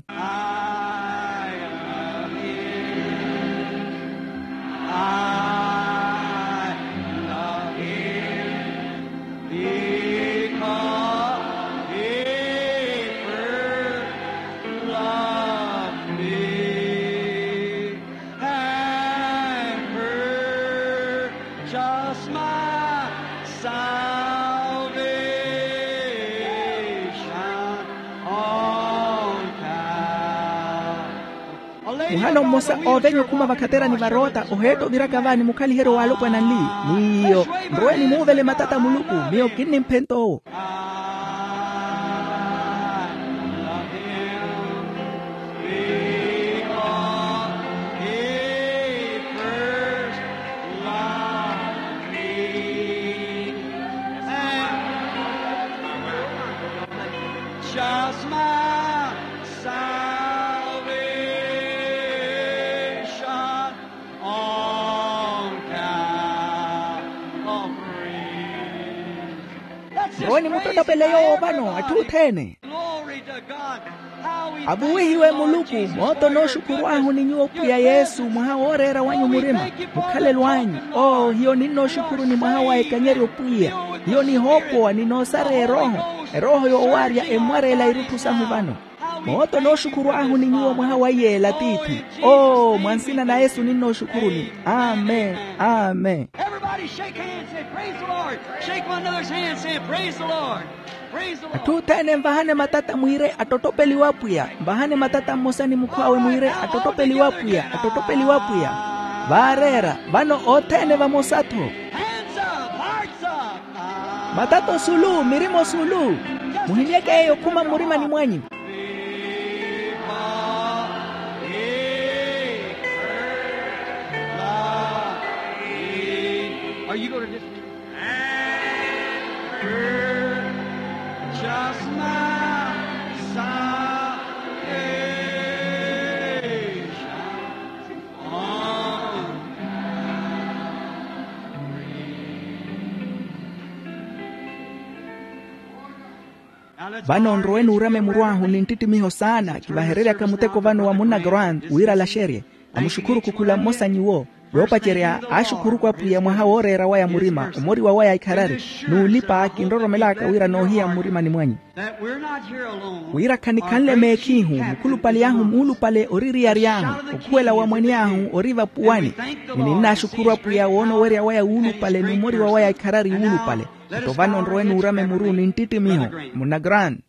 Muhano mmosa oovenya okhuma vakhaterani varoota oheetta oviraka vaani mukhaliheryo w'alopwana nli. N'iyo nrowe nimuuvele matata muluku miyo kinnimphenta owo. Nrowe nimuttottopele yoowo vano atthu othene. Avuwihiwe muluku. Mootho nooxukhuru ahu ni nyuwo pwiya yesu mwaha wooreera wanyu murima. Mukhalelo anyu oo hiyo ninnooxukhuru ni mwaha wa ekanyeryo pwiya. Hiyo nihoopowa ni noosareya erooho erooho yoowaarya emmwareela irutthu sahu vano. Mootho nooxukhuru ahu ni nyuwo mwaha wa iyeela tiithi. Oo mwa nsina na yesu ninnooxukhuruni. Amen. Amen. Atthu othene nvahane matata mwiire attottopeliwe apwiya. Nvahane matata mmosa ni mukhw'awe mwiire attottopeliwe apwiya attottopeliwe apwiya. Vaareera vano othene vamosa-tho. Matata osulu mirima osulu. Muhimyeke yeeyo okhuma mmurimani mwanyu. Vano nrowe nuurama emuru ahu ni nttittimiho saana kivahereryaka muteko vano wa munna grant wira alaxerye. Amuxukhuru khukhula mmosa nyuwo. Yoopacerya aaxukhuruku apwiya mwaha wooreera waya murima omoriwa waya ikharari. N'ulipa kinroromelaka wira noohiya mmurimani mwanyu wira khanikhanle meekhihu mukhulupale ahu muulupale ori eriyari ahu. Okhuwela wa mwene ahu ori vapuwani. Ni ninnaaxukhuru apwiya woona owerya waya wuulupale ni omoriwa waya ikharari wuulupale. Nto vano nrowe nuurame muru ni nttittimiho muna grant.